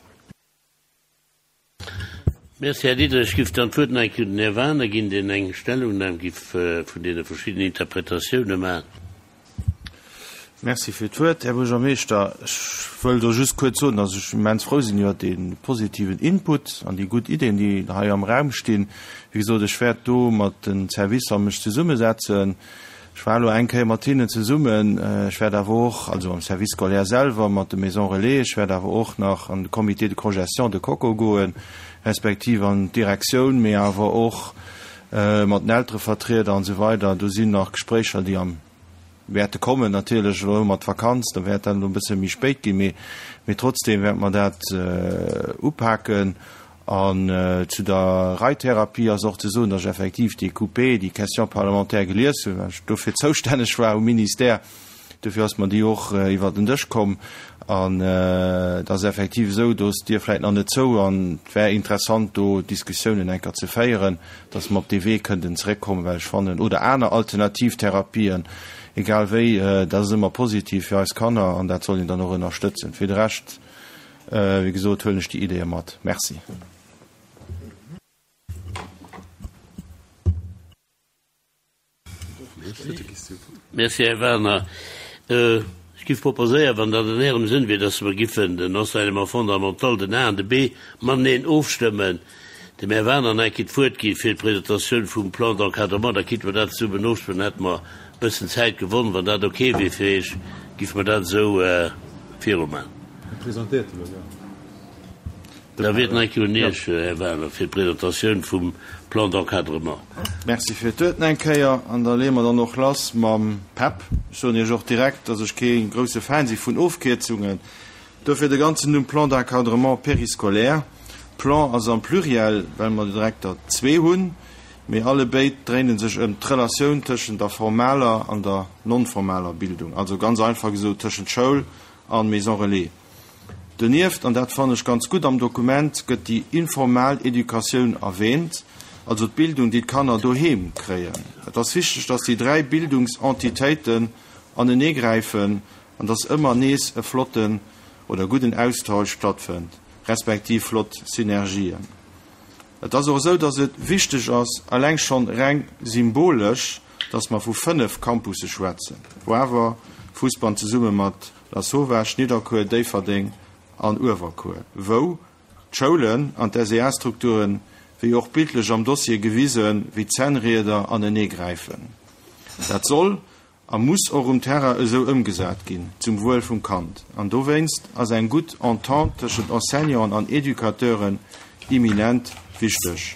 Merci, Här Diderich. Ech giff dann d'Wuert nach eng Kéier un den Här Wagener ginn, deen eng Stellungnam giff vun deene verschiddenen Interpretatioune maachen. Merci fir d'Wuert, Här Buergermeeschter. Ech wëll do just kuerz soen, dass ech immens frou sinn iwwert dee positiven Input an déi gutt Ideen, déi hei am Raum stinn. Wéi gesot, ech wäert do mat den Servicer mech zesummesetzen. Ech war elo eng Kéier mat hinnen zesummen. Ech wäert awer och, also am Service scolaire selwer, mat de Maisons relais, ech wäert awer och nach an de Comité de cogestion de Coco goen, respektiv an d'Direktioun, mee awer och mat den Elterevertrieder an esou weider. Do sinn nach Gespréicher, déi am wäerte kommen natierlech. Elo hu mer d'Vakanz, da wäert dat elo e bësse méi spéit ginn, mee, mee trotzdeem wäerte mer dat upaken. An zu der Reittherapie ass och ze soen, datt ech effektiv déi QP, déi Question parlementaire gelies hunn, well ech dofir zoustänneg war um Ministère. Dofir ass mer déi och iwwer den Dësch komm. An et ass effektiv esou, do ass d'Dier vläicht nach net zou an et wär interessant, do Diskussiounen eng Kéier ze féieren, datt mer op dee Wee kënnten zeréckkommen, well ech fannen, oder aner alternativ Therapien, egal wéi, dat ass ëmmer positiv fir eis Kanner an dat soll een dann och ënnerstëtzen. Fir de Rescht Wéi gesot huelen ech déi Ideeë mat. Merci. Merci, Här Werner. Ech giff proposéieren, wann dat an Ärem Sënn wier, dass mer giffen den Enseignement fondamental, den A an de B, mateneen ofstëmmen, dem Här Werner nach eng Kéier d'Wuert gi fir d'Presentatioun vum Plan d'encadrement, da kinnte mer dat zesummen ofstëmmen, dann hätte mer e bëssen Zäit gewonn. Wann dat ok wier fir Iech, giffe mer dat esou viruman. Da wier et nach eng Kéier un Iech, Här Werner, fir d'Presentatioun vum Plan d'encadrement. Merci fir d'Wuert nach eng Kéier. An da leeë mer dann och lass mam PEP. Ech soen Iech och direkt, dass ech kee grouse Fan si vun Ofkierzungen. Dofir de ganzen Numm Plan d'encadrement périscolaire. Plan ass am Pluriel, well mer direkt der zwee hunn, mee alle béid dréine sech ëm d'Relatioun tëschent der formaler an der non-formaler Bildung, also ganz einfach gesot tëschent Schoul. a Maison Relais. Donieft, an dat fannen ech ganz gutt am Dokument, gëtt déi informal Educatioun erwähnt, also d'Bildung, déi d'Kanner doheem kréien. Et ass wichteg, dass déi 3 Bildungsentitéiten aneneegräifen an dass ëmmer nees e flotten oder gudden Austausch stattfënnt, respektiv flott Synergien. Et ass och esou, dass et wichteg ass, eleng schonn reng symbolesch, dass mer vu 5 Campusse schwätzen, Woawer, Fousbann zesumme mat Lasauvage, Nidderkuer, Déifferdeng an Uewerkuer, wou d'Schoulen an d'SEA-Strukturen, wéi och bildlech am Dossier gewisen, wéi Zännrieder aneneegräifen. Dat soll a muss och um Terrain esou ëmgesat ginn, zum Wuel vum Kand. An dowéinst ass eng gutt Entente tëschent Enseignanten an Educateuren imminent wichteg.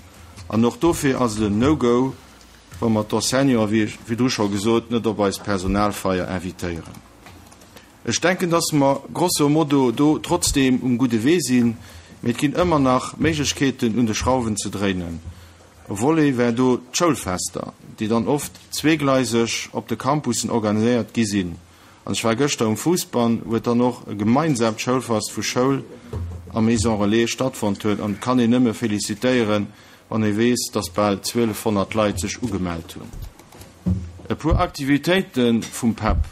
An och dofir ass et en No-Go, wa mer d'Enseignanten, wéi virdru scho gesot, net op eis Personalfeier invitéieren. Ech denken, dass mer grosso modo do trotzdeem um gudde Wee sinn, mee et ginn ëmmer nach Méiglechkeeten, un de Schrauwen ze dréinen. E Volet wär do d'Schoulfester, déi dann oft zweegleiseg op de Campussen organiséiert gi sinn. An ech war gëschter um Fousbann, wou et dann och e gemeinsaamt Schoulfest vu Schoul a Maison Relais stattfonnt huet. An et kann een nëmme felicitéieren, wann ee weess, dass bal 1.200 Leit sech ugemellt hunn. E puer Aktivitéite vum PEP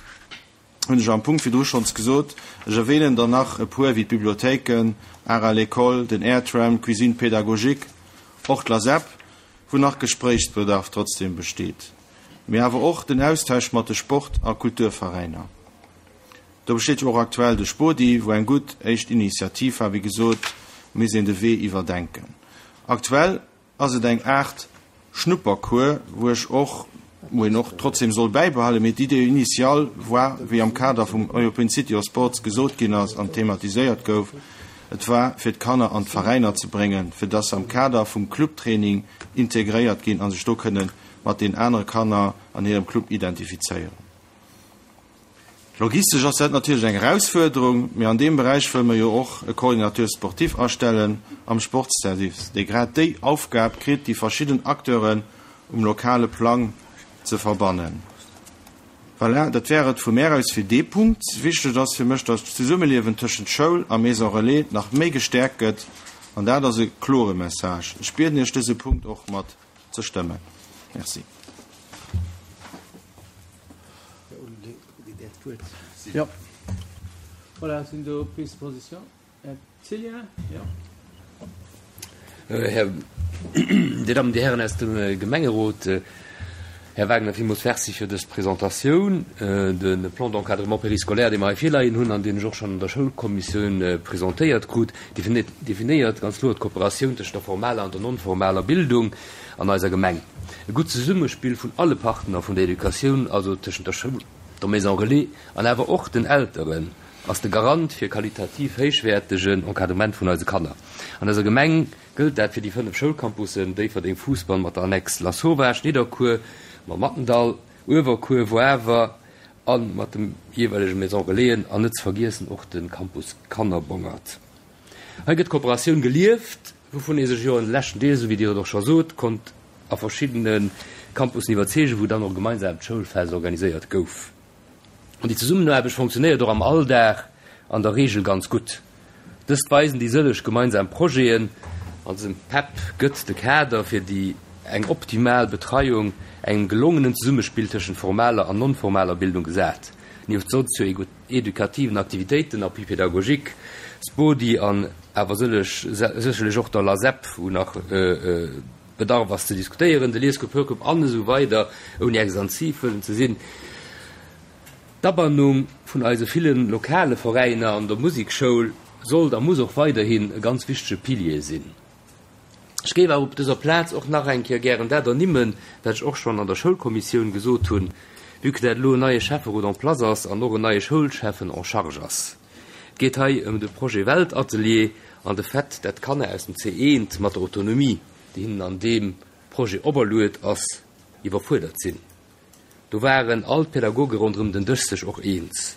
hunn ech am Punkt virdru schonns gesot. Ech erwähnen der nach e puer, wéi d'Bibliothéiken, Art à l'école, den Airtram, d'Cuisine pédagogique, och d'LASEP, wou nach Gespréichsbedarf trotzdem besteet, mee awer och den Austausch mat de Sport a Kulturveräiner. Do besteet jo och aktuell de Spodi, wou eng gutt éischt Initiativ war. Wéi gesot, misst een de Wee iwwerdenken. Aktuell ass et eng Aart Schnuppercours, wou ech och, wou een och trotzdem soll bäibehalen, mee d'Idée initiale war, wéi am Kader vum European City of Sports gesot ginn ass an thematiséiert gouf, et war fir d'Kanner an d'Veräiner ze bréngen, fir dass se am Kader vum Clubtraining integréiert ginn a sech do kënne mat den anere Kanner an hirem Club identifizéieren. Logistesch ass dat natierlech eng Erausfuerderung, mee an deem Beräich wëlle mer jo och e Coordinateur sportif astellen am Sportsservice, dee grad déi Aufgab kritt, déi verschidden Acteuren um lokale Plang ze verbannen. Voilà, dat wär et vu mär aus fir dee Punkt. Wichteg ass fir mech, datt d'Zesummeliewen tëschent Schoul a Maison Relais nach méi gestäerkt gëtt, an dat ass e klore Message. Ech bieden Iech, dëse Punkt och mat ze stëmmen. Merci. Jo. Voilà, sinn do Prises de position? Här Cillien, jo. Här, Dir Dammen, Dir Hären aus dem Gemengerot, Här Wagner, villmools Merci fir dës Presentatioun. De Plan d'encadrement périscolaire, dee mer hei virleien hunn an deen ech och schonn an der Schoulkommissioun presentéiert krut, definéiert ganz kloer d'Kooperatioun tëschent der formaler an der non-formaler Bildung an eiser Gemeng. E gutt Zesummespill vun alle Partner vun der Educatioun, also tëschent der Schoul, der Maison Relais an awer och den Elteren, ass de Garant fir e qualitativ héichwäertegen Encadrement vun eise Kanner. An eiser Gemeng gëllt dat fir déi 5 Schoulcampussen, Déifferdeng, Fousbann mat der Annex Lasauvage, Nidderkuer mam Mattendall, Uewerkuer, Woawer a mat de jeeweilege Maison Relaisen an net ze vergiessen och de Campus Kannerbongert. Hei gëtt d'Kooperatioun gelieft, wouvun ee sech jo an de leschten Deeg, esou wéi Dir et och scho sot, konnt a verschiddene Campussen iwwerzeegen, wou dann och e gemeinsaamt Schoulfest organiséiert gouf. An déi Zesummenaarbecht fonctionnéiert och am Alldag an der Reegel ganz gutt. Dëst weisen déi sëlleg gemeinsam Projeten. An dësem PEP gëtt de Kader fir déi eng optimal Betreiung, engem gelongenen Zesummespill tëschent formaler an non-formaler Bildung gesat. Nieft sozio-edukativen Aktivitéiten, Appui pédagogique, Spodi an awer sëlleg sécherlech och der LASEP, wou nach Bedarf ass ze diskutéieren, de Liesgrupp, Hörgrupp an esou weider, ouni extensiv wëllen ze sinn. D'Abannung vun eise ville lokale Veräiner an der Musekschoul sollt a muss och weiderhin e ganz wichtege Pilier sinn. Ech géif awer op dëser Plaz och nach eng Kéier gären dat ernimmen, wat ech och schonn an der Schoulkommissioun gesot hunn, vue que dat elo en neie Schäfferot en place ass an och en neie Schoulschäffen en charge ass. Et geet hei ëm de Projet Weltatelier an de Fait, dat d'Kanner aus dem C1 mat der Autonomie, déi hinnen an deem Projet operluet ass, iwwerfuerdert sinn. Do waren all d'Pädagoge ronderëm den Dësch sech och eens.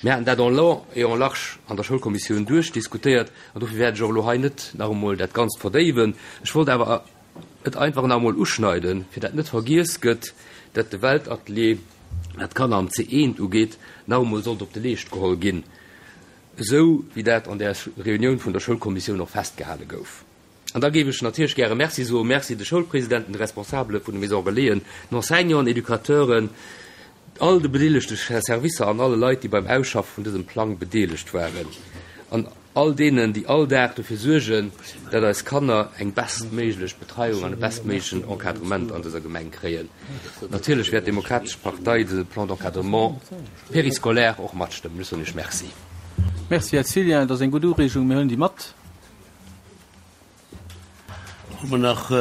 Mir haten dat en long et en large an der Schoulkommissioun duerchdiskutéiert an dofir wäert ech och elo hei net nach emol dat Ganzt verdéiwen. Ech wollt awer et einfach nach emol uschneiden, fir dat net vergiess gëtt, dat de Weltatelier, wat d'Kanner am C1 ugeet, nach emol sollt op de Leescht geholl ginn. Esou wéi dat an där Reunioun vun der Schoulkommissioun och festgehale gouf. An da géif ech natierlech gäre Merci soen. Merci de Schoulpresidenten, de Responsabele vun de Maisons Relaisen, den Enseignanten, Educateuren, all de bedeelegte Servicer an alle Leit, déi beim Ausschaffe vun dësem Plang bedeelegt waren an all deenen, déi all Dag dofir suergen, dat eis Kanner eng bestméiglech Betreiung an e bestméiglechen Encadrement an dëser Gemeng kréien. Natierlech wäert d'Demokratesch Partei dëse Plan d'encadrement périscolaire och matstëmmen. Ech soen Iech Merci. Merci, Här Cillien. Dat ass eng gutt Ureegung. Mir huelen déi mat. Hu mer nach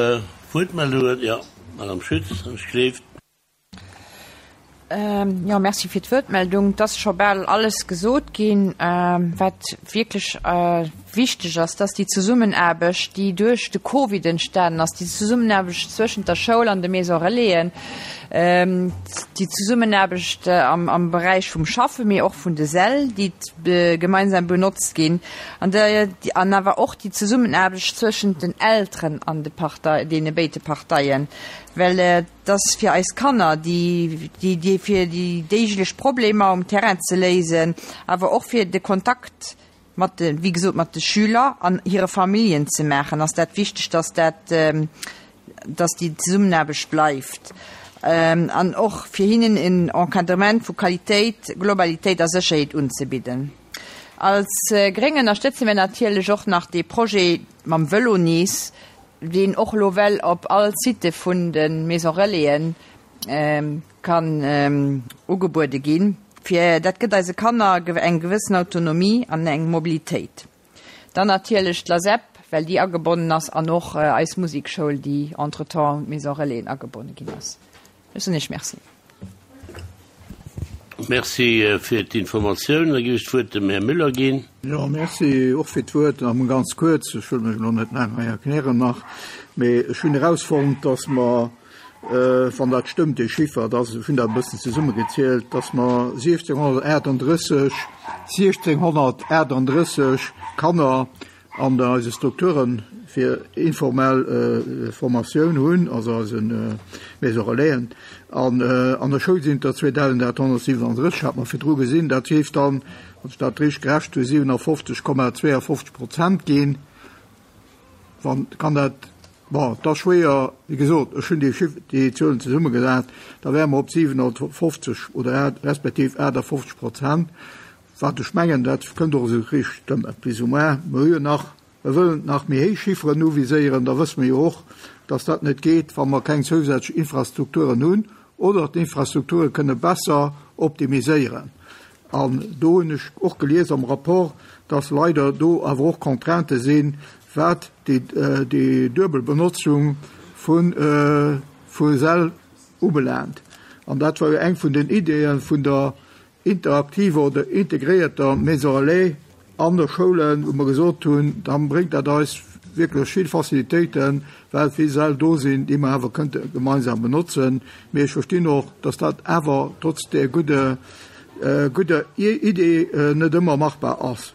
Wuertmeldungen? Jo, Madame Schütz, ech gleeft. Jo, Merci fir d'Wuertmeldung. Et ass scho bal alles gesot ginn. Wat wierklech wichteg ass, dass déi Zesummenaarbecht, déi duerch de Covid entstanen ass, déi Zesummenaarbecht zwëschent der Schoul an de Maison Relaisen, déi Zesummenaarbecht am Beräich vum Schaffen, mee och vun de Säll, déi gemeinsam benotzt ginn, an an awer och déi Zesummenaarbecht zwëschent den Elteren an de Partei, deene béide Parteien, well dass fir eis Kanner, déi, déi, déi fir déi déiglech Problemer um Terrain ze léisen, awer och fir de Kontakt mat de, wéi gesot, mat de Schüler an hire Familljen ze maachen, ass dat wichteg, dass dat, dass déi Zesummenaarbecht bleift an och fir hinnen en Encadrement vu Qualitéit, Globalitéit a Sécherheet unzebidden. Als Gréng ënnerstëtze mir natierlech och nach dee Projet mam Vëlo nees, deen och elo well op all Site vun de Maison Relaisen kann ugebuede ginn, fir dat gëtt eise Kanner eng gewëssen Autonomie an eng Mobilitéit. Dann natierlech d'LASEP, well déi agebonnen ass, an och eis Musekschoul, déi entretemps un d'Maison Relaisen agebonne ginn ass. Ech soen Iech Merci. Merci fir d'Informatioun. Da géif ech d'Wuert dem Här Müller ginn. Jo, merci och fir d'Wuert. Nach emol ganz kuerz, ech wëll mech elo net laang hei erklären nach, mee ech hunn erausfonnt, dass mer, wann dat stëmmt, dee Chiffer, dass, ech hunn dat e bëssen zesummegezielt, dass mer 1.638, 1.638 Kanner an eise Strukture fir informell Formatioun hunn, also eise Maison Relaisen. An an der Schoul sinn et der 2.837, hat mer virdru gesinn. Dat géif dann, wann ech dat richteg gerechent hunn, 57,52 Prozent ginn. Wann, kann dat, bon, et ass schwéier, wéi gesot, ech hunn déi Chiff, déi Zuelen zesummegesat, da wäre mer op 57 oder respektiv 58 Prozent. Wat ech mengen, dat kënnt och esou richteg stëmmen, plus ou moins. Mer hu jo nach, mer wëllen nach méi héich Chifferen uviséieren, da wësse mer jo och, dass dat net geet, wa mer keng zousätzlech Infrastrukturen hunn oder d'Infrastrukture kënne besser optimiséieren. An do hunn ech och gelies am Rapport, dass leider do awer och Contraintë sinn, wat déi, déi duebel Benotzung vu Säll ubelaangt. An dat war jo eng vun den Ideeë vun der interaktiver oder integréierter Maison relais an de Schoulen, wou mer gesot hunn, da bréngt dat eis wierklech vill Facilitéiten, well vill Säll do sinn, déi mer awer kënnte gemeinsam benotzen. Mee ech verstinn och, dass dat awer trotz där gudde gudder Idee net ëmmer machbar ass.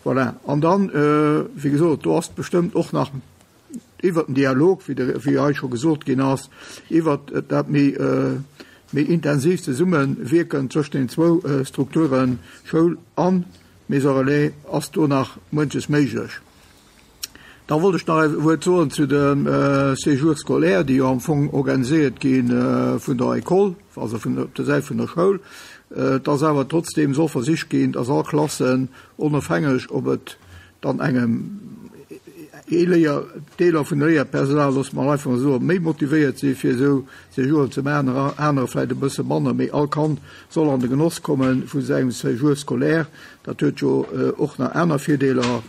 Voilà. An dann, wéi gesot, do ass bestëmmt och nach iwwert den Dialog, wéi de, wéi hei scho gesot ginn ass, iwwert dat méi, méi intensiivt Zesummewierken zwëschen den zwou Strukturen, Schoul a Maison relais, ass do nach muenches méiglech. Da wollt ech nach e Wuert soen zu de Séjours scolaires, déi jo am Fong organiséiert gi vun der École, also vun, op der Säit vun der Schoul. Et ass awer trotzdeem soll versicht ginn, dass all Klassen, onofhängeg ob et dann engem ee Léier, Deeler vun Léierpersonal, loosse mer einfach mol soen, méi motivéiert si fir esou Séjouren ze maachen, anerer vläicht e bësse manner, mee all Kand soll an de Genoss komme vu sengem Séjour scolaire. Dat huet jo och nach aner Virdeeler,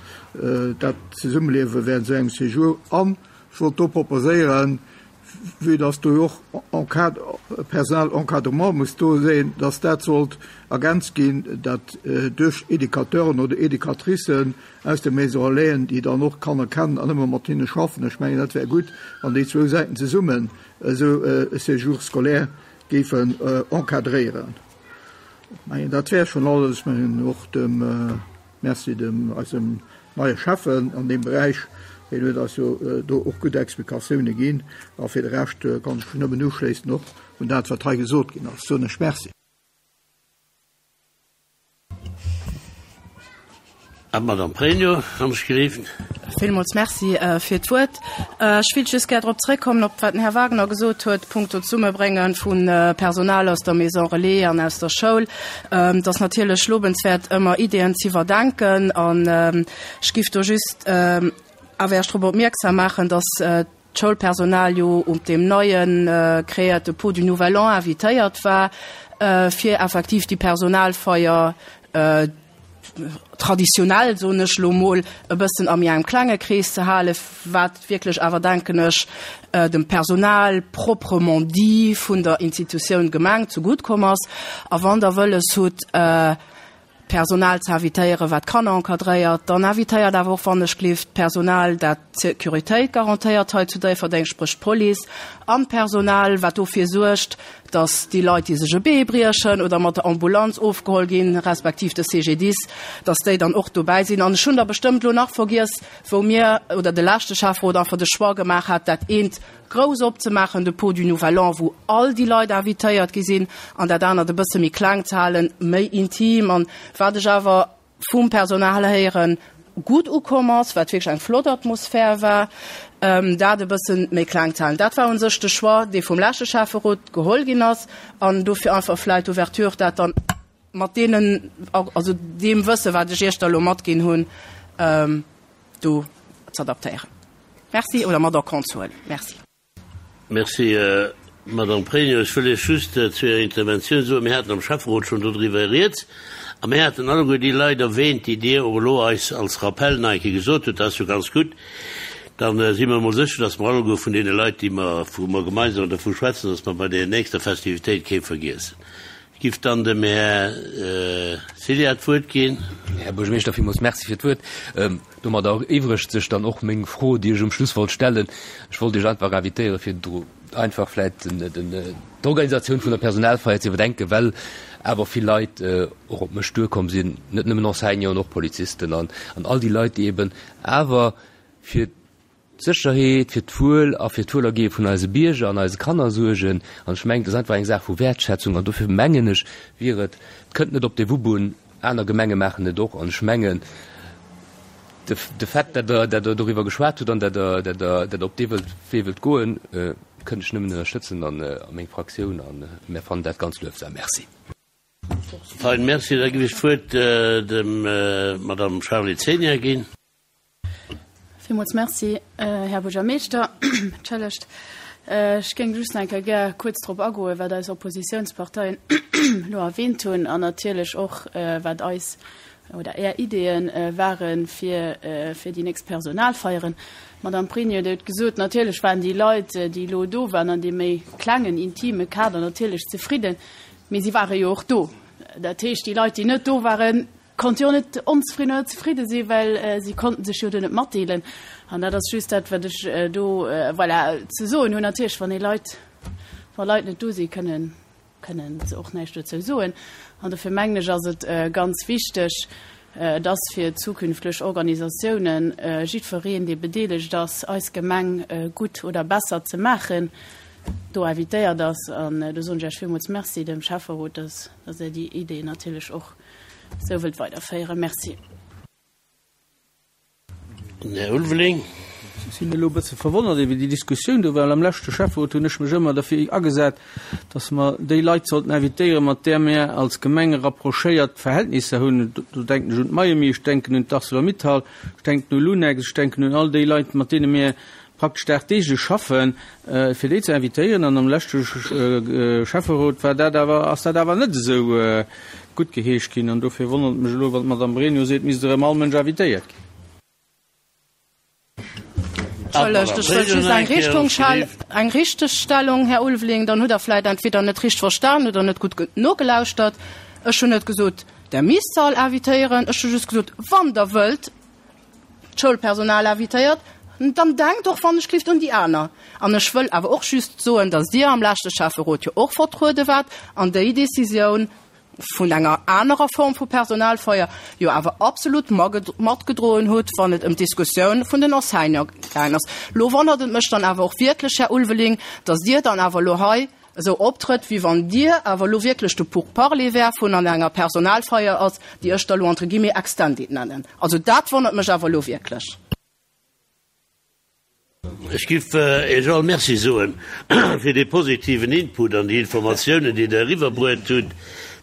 dat Zesummeliewe während esou engem Séjour. An ech wollt do proposéieren, vue dass do jo och Personal encadrement muss do sinn, dass dat sollt ergänzt ginn, dat duerch Educateuren oder Educatricen aus de Maisons Relaisen, déi dann och d'Kanner kennen an ëmmer mat hinne schaffen. Ech mengen, dat wär gutt, wann déi zwou Säiten zesummen esou e Séjour scolaire géifen encadréieren. Ech mengen, dat wär schonn alles. Ech mengen och dem. Merci dem eisem neie Schäffen an deem Beräich, hien huet eis jo do och gutt Explikatioune ginn. A fir de Rescht kann ech mech nëmmen uschléissen och un dat, wat hei gesot ginn ass. Soen ech Merci. An d'Madame Pregno, wann ech gelift. Villmools Merci fir d'Wuert. Ech wéilt just gär drop zréckkommen, op wat den Här Wagner gesot huet, punkto Zesummebrénge vu Personal aus der Maison Relais an aus der Schoul. Et ass natierlech lobenswäert, ëmmer Ideeën z'iwwerdenken. An ech giff do just awer Iech drop opmierksam maachen, dass d'Schoulpersonal jo op deem neie kreéierte Pot du Nouvel An invitéiert war, fir effektiv déi Personalfeier, traditionell, soen ech elo mol, e bëssen a méi engem klenge Krees ze halen, wat wierklech awer, denken ech, dem Personal proprement dit vun der Institutioun Gemeng zegutt komm ass. A wann Der wëlles hutt, Personal ze invitéieren, wat d'Kanner encadréiert, dann invitéiert awer och, wann ech gleef, d'Personal, dat d'Sécuritéit garantéiert hei zu Déifferdeng, spréch d'Police, an d'Personal, wat dofir suergt, dass déi Leit, déi sech e Bee briechen oder mat der Ambulanz ofgeholl ginn, respektiv de CGDIS, dass déi dann och dobäi sinn. An ech hunn der bestëmmt elo nach vergiess, wou mir oder de leschte Schäfferot einfach de Choix gemaach hat, dat eent grouss opzemaachen, de Pot du Nouvel An, wou all déi Leit invitéiert gi sinn, an dat anert e bësse méi kleng ze halen, méi intim. An wat ech awer vum Personal héieren, gutt ukomm ass, wat wierklech eng flott Atmosphär war, dat e bësse méi kleng ze halen. Dat war u sech de Choix, dee vum leschte Schäfferot geholl ginn ass, an dofir einfach vläicht d'Ouverture, dat dann mat deenen, also deem Wësse wat ech Iech da elo matginn hunn, do z'adaptéieren. Merci, oder mat en compte ze huelen. Merci. Merci, Madamm Pregno. Ech wëll Iech just zu Ärer Interventioun soen, mir haten am Schäfferot schonn dodriwwer rieds a mir haten alleguer déi Leit erwähnt, déi Dir och elo eis als Rappell nach eng Kéier gesot hutt. Dat ass jo ganz gutt. Da si mer emol sécher, dass mer alleguer vun deene Leit, déi mer, wou mer gemeinsam dervu schwätzen, dass mer bei der nächster Festivitéit kee vergiessen. Ech giff dann dem Här Cilla d'Wuert ginn. Här Buergermeeschter, villmools Merci fir d'Wuert. Domadder eriwwregt sech dann och meng Fro, déi ech um Schluss wollt stellen. Ech wollt Iech einfach invitéieren, fir einfach vläicht d'Organisatioun vun der Personalfeier ze iwwerdenken, well awer vill Leit och op mech duerkomm sinn, net nëmmen Enseignanten, och Polizisten an all déi Leit, déi eben awer fir d'Sécherheet, fir d'Wuel a fir d'Wuelergehe vun eise Bierger an eise Kanner suergen. An ech mengen, et ass einfach eng Saach vu Wäertschätzung. An dofir mengen ech, wier et, et kënnt net op de Wupp un, aner Gemenge maachen et och. An ech mengen, de, de Fait, dat Der, dat Der doriwwer geschwat hutt an dat Der, dat Der, dat Der op dee wëllt, Wee wëllt goen, kënnt ech nëmmen ënnerstëtzen an a meng Fraktioun. A mär fannen dat ganz luefsam. Merci. Fein, Merci. Da giff ech d'Wuert dem Madame Charly Zenia ginn. Villmools Merci, Här Buergermeeschter. Entschëllegt, ech géing just nach eng Kéier gär kuerz drop agoen, wat eis Oppositionsparteien elo erwähnt hunn an natierlech och, wat eis oder Är Ideeë ware fir, fir déi nächst Personalfeieren. D'Madame Pregno, Dir hutt gesot, natierlech waren déi Leit, déi elo do waren an deem méi klengen, intime Kader natierlech zefridden, mee si ware jo och do. Dat heescht, déi Leit, déi net do waren, Konnt jo net onzefridden oder zefridde sinn, well si konnten sech jo do net matdeelen. An dat ass just dat, wat ech do, voilà, ze soen hunn. Natierlech, wann ee Leit, wa Leit net do sinn, kënnen, kënnen se och näischt dozou soen. An dofir mengen ech, ass et ganz wichteg, dass fir zukünftlech Organisatiounen jiddwereen, dee bedeelegt ass, eis Gemeng gutt oder besser ze maachen, do invitéiert ass. An do soen ech Iech villmools Merci, dem Schäfferot, dass, dass Der déi Idee natierlech och esou wëllt weiderféieren. Merci. Den Här Ulveling. Ech sinn elo e bësse verwonnert iwwer déi Diskussioun do, well am leschte Schäfferot hunn ech mech ëmmer derfir agesat, dass mer déi Leit sollten invitéieren, mat där mir als Gemeng rapprochéiert Verhältnisser hunn. Do denken ech un d'Mayemi, ech denken un d'Arcelor-Mittal, ech denken u Lunex, ech denken un all déi Leit, mat deene mir praktesch dagdeeglech schaffen, fir déi ze invitéieren. An am leschte Schäfferot war dat awer, ass dat awer net esou guttgeheescht ginn. An dofir wonnert et mech elo, wann d'Madame Pregno seet, et misst erëm all Mënsch invitéiert ginn. Entschëllegt, ech wëllt just eng Richtung, eng Richtegstellung, Här Ulveling. Dann hutt Der vläicht entweder net richteg verstan oder net gutt nogelauschtert. Ech hunn net gesot, Der misst se all invitéieren. Ech hu just gesot, wann Der wëllt, d'Schoulpersonal invitéiert, dann denkt och wann ech gelift un déi aner. An ech wëll awer och just soen, datt Dir am leschte Schäfferot jo och vertruede waart an déi Décisioun vun enger anerer Form vu Personalfeier jo awer absolut matgedroen hutt, wann et ëm d'Diskussioun vun den Enseignante gaangen ass. Lo wonnert et mech dann awer och wierklech, Här Ulveling, datt Dir dann awer elo hei. esou optrëtt, wéi wann Dir awer elo wierklech de Pourparler wär vun an enger Personalfeier ass, déi ech da elo entre guillemets extended nennen. Also dat wonnert mech awer elo wierklech. Ech giff Iech all Merci soen fir dee positiven Input an déi Informatiounen, déi Der eriwwerbruet hutt.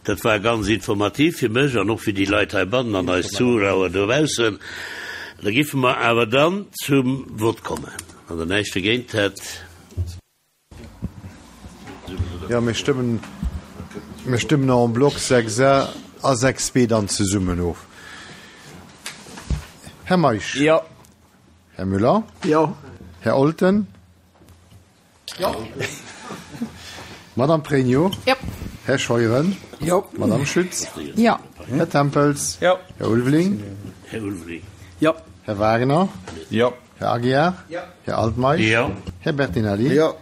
Dat war ganz informativ fir mech an och fir déi Leit heibannen an eis Zuschauer dobaussen. Da giffe mer awer dann zum Vott kommen, wann Der näischt dogéint hätt. Jo, mir stëmmen, mir stëmmen en bloc 6 a a 6 b dann zesummen of. Här Meisch. Jo. Här Müller. Jo. Här Olten. Jo. Madame Pregno. Jo. Här Scheuren. Jo. Madame Schütz. Jo. Här Tempels. Jo. Här Ulveling. Här Ulveling. Jo. Här Wagner. Jo. Här Aguiar. Jo. Här Altmeisch. Jo. Här Bertinelli. Jo.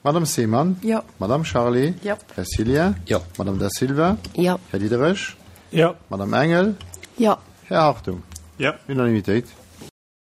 Madame Seemann. Jo. Madame Charlé. Jo. Här Cillien. Jo. Madame Da Silva. Jo. Här Diderich. Jo. Madame Engel. Jo. Här Hartung. Jo. Unanimitéit.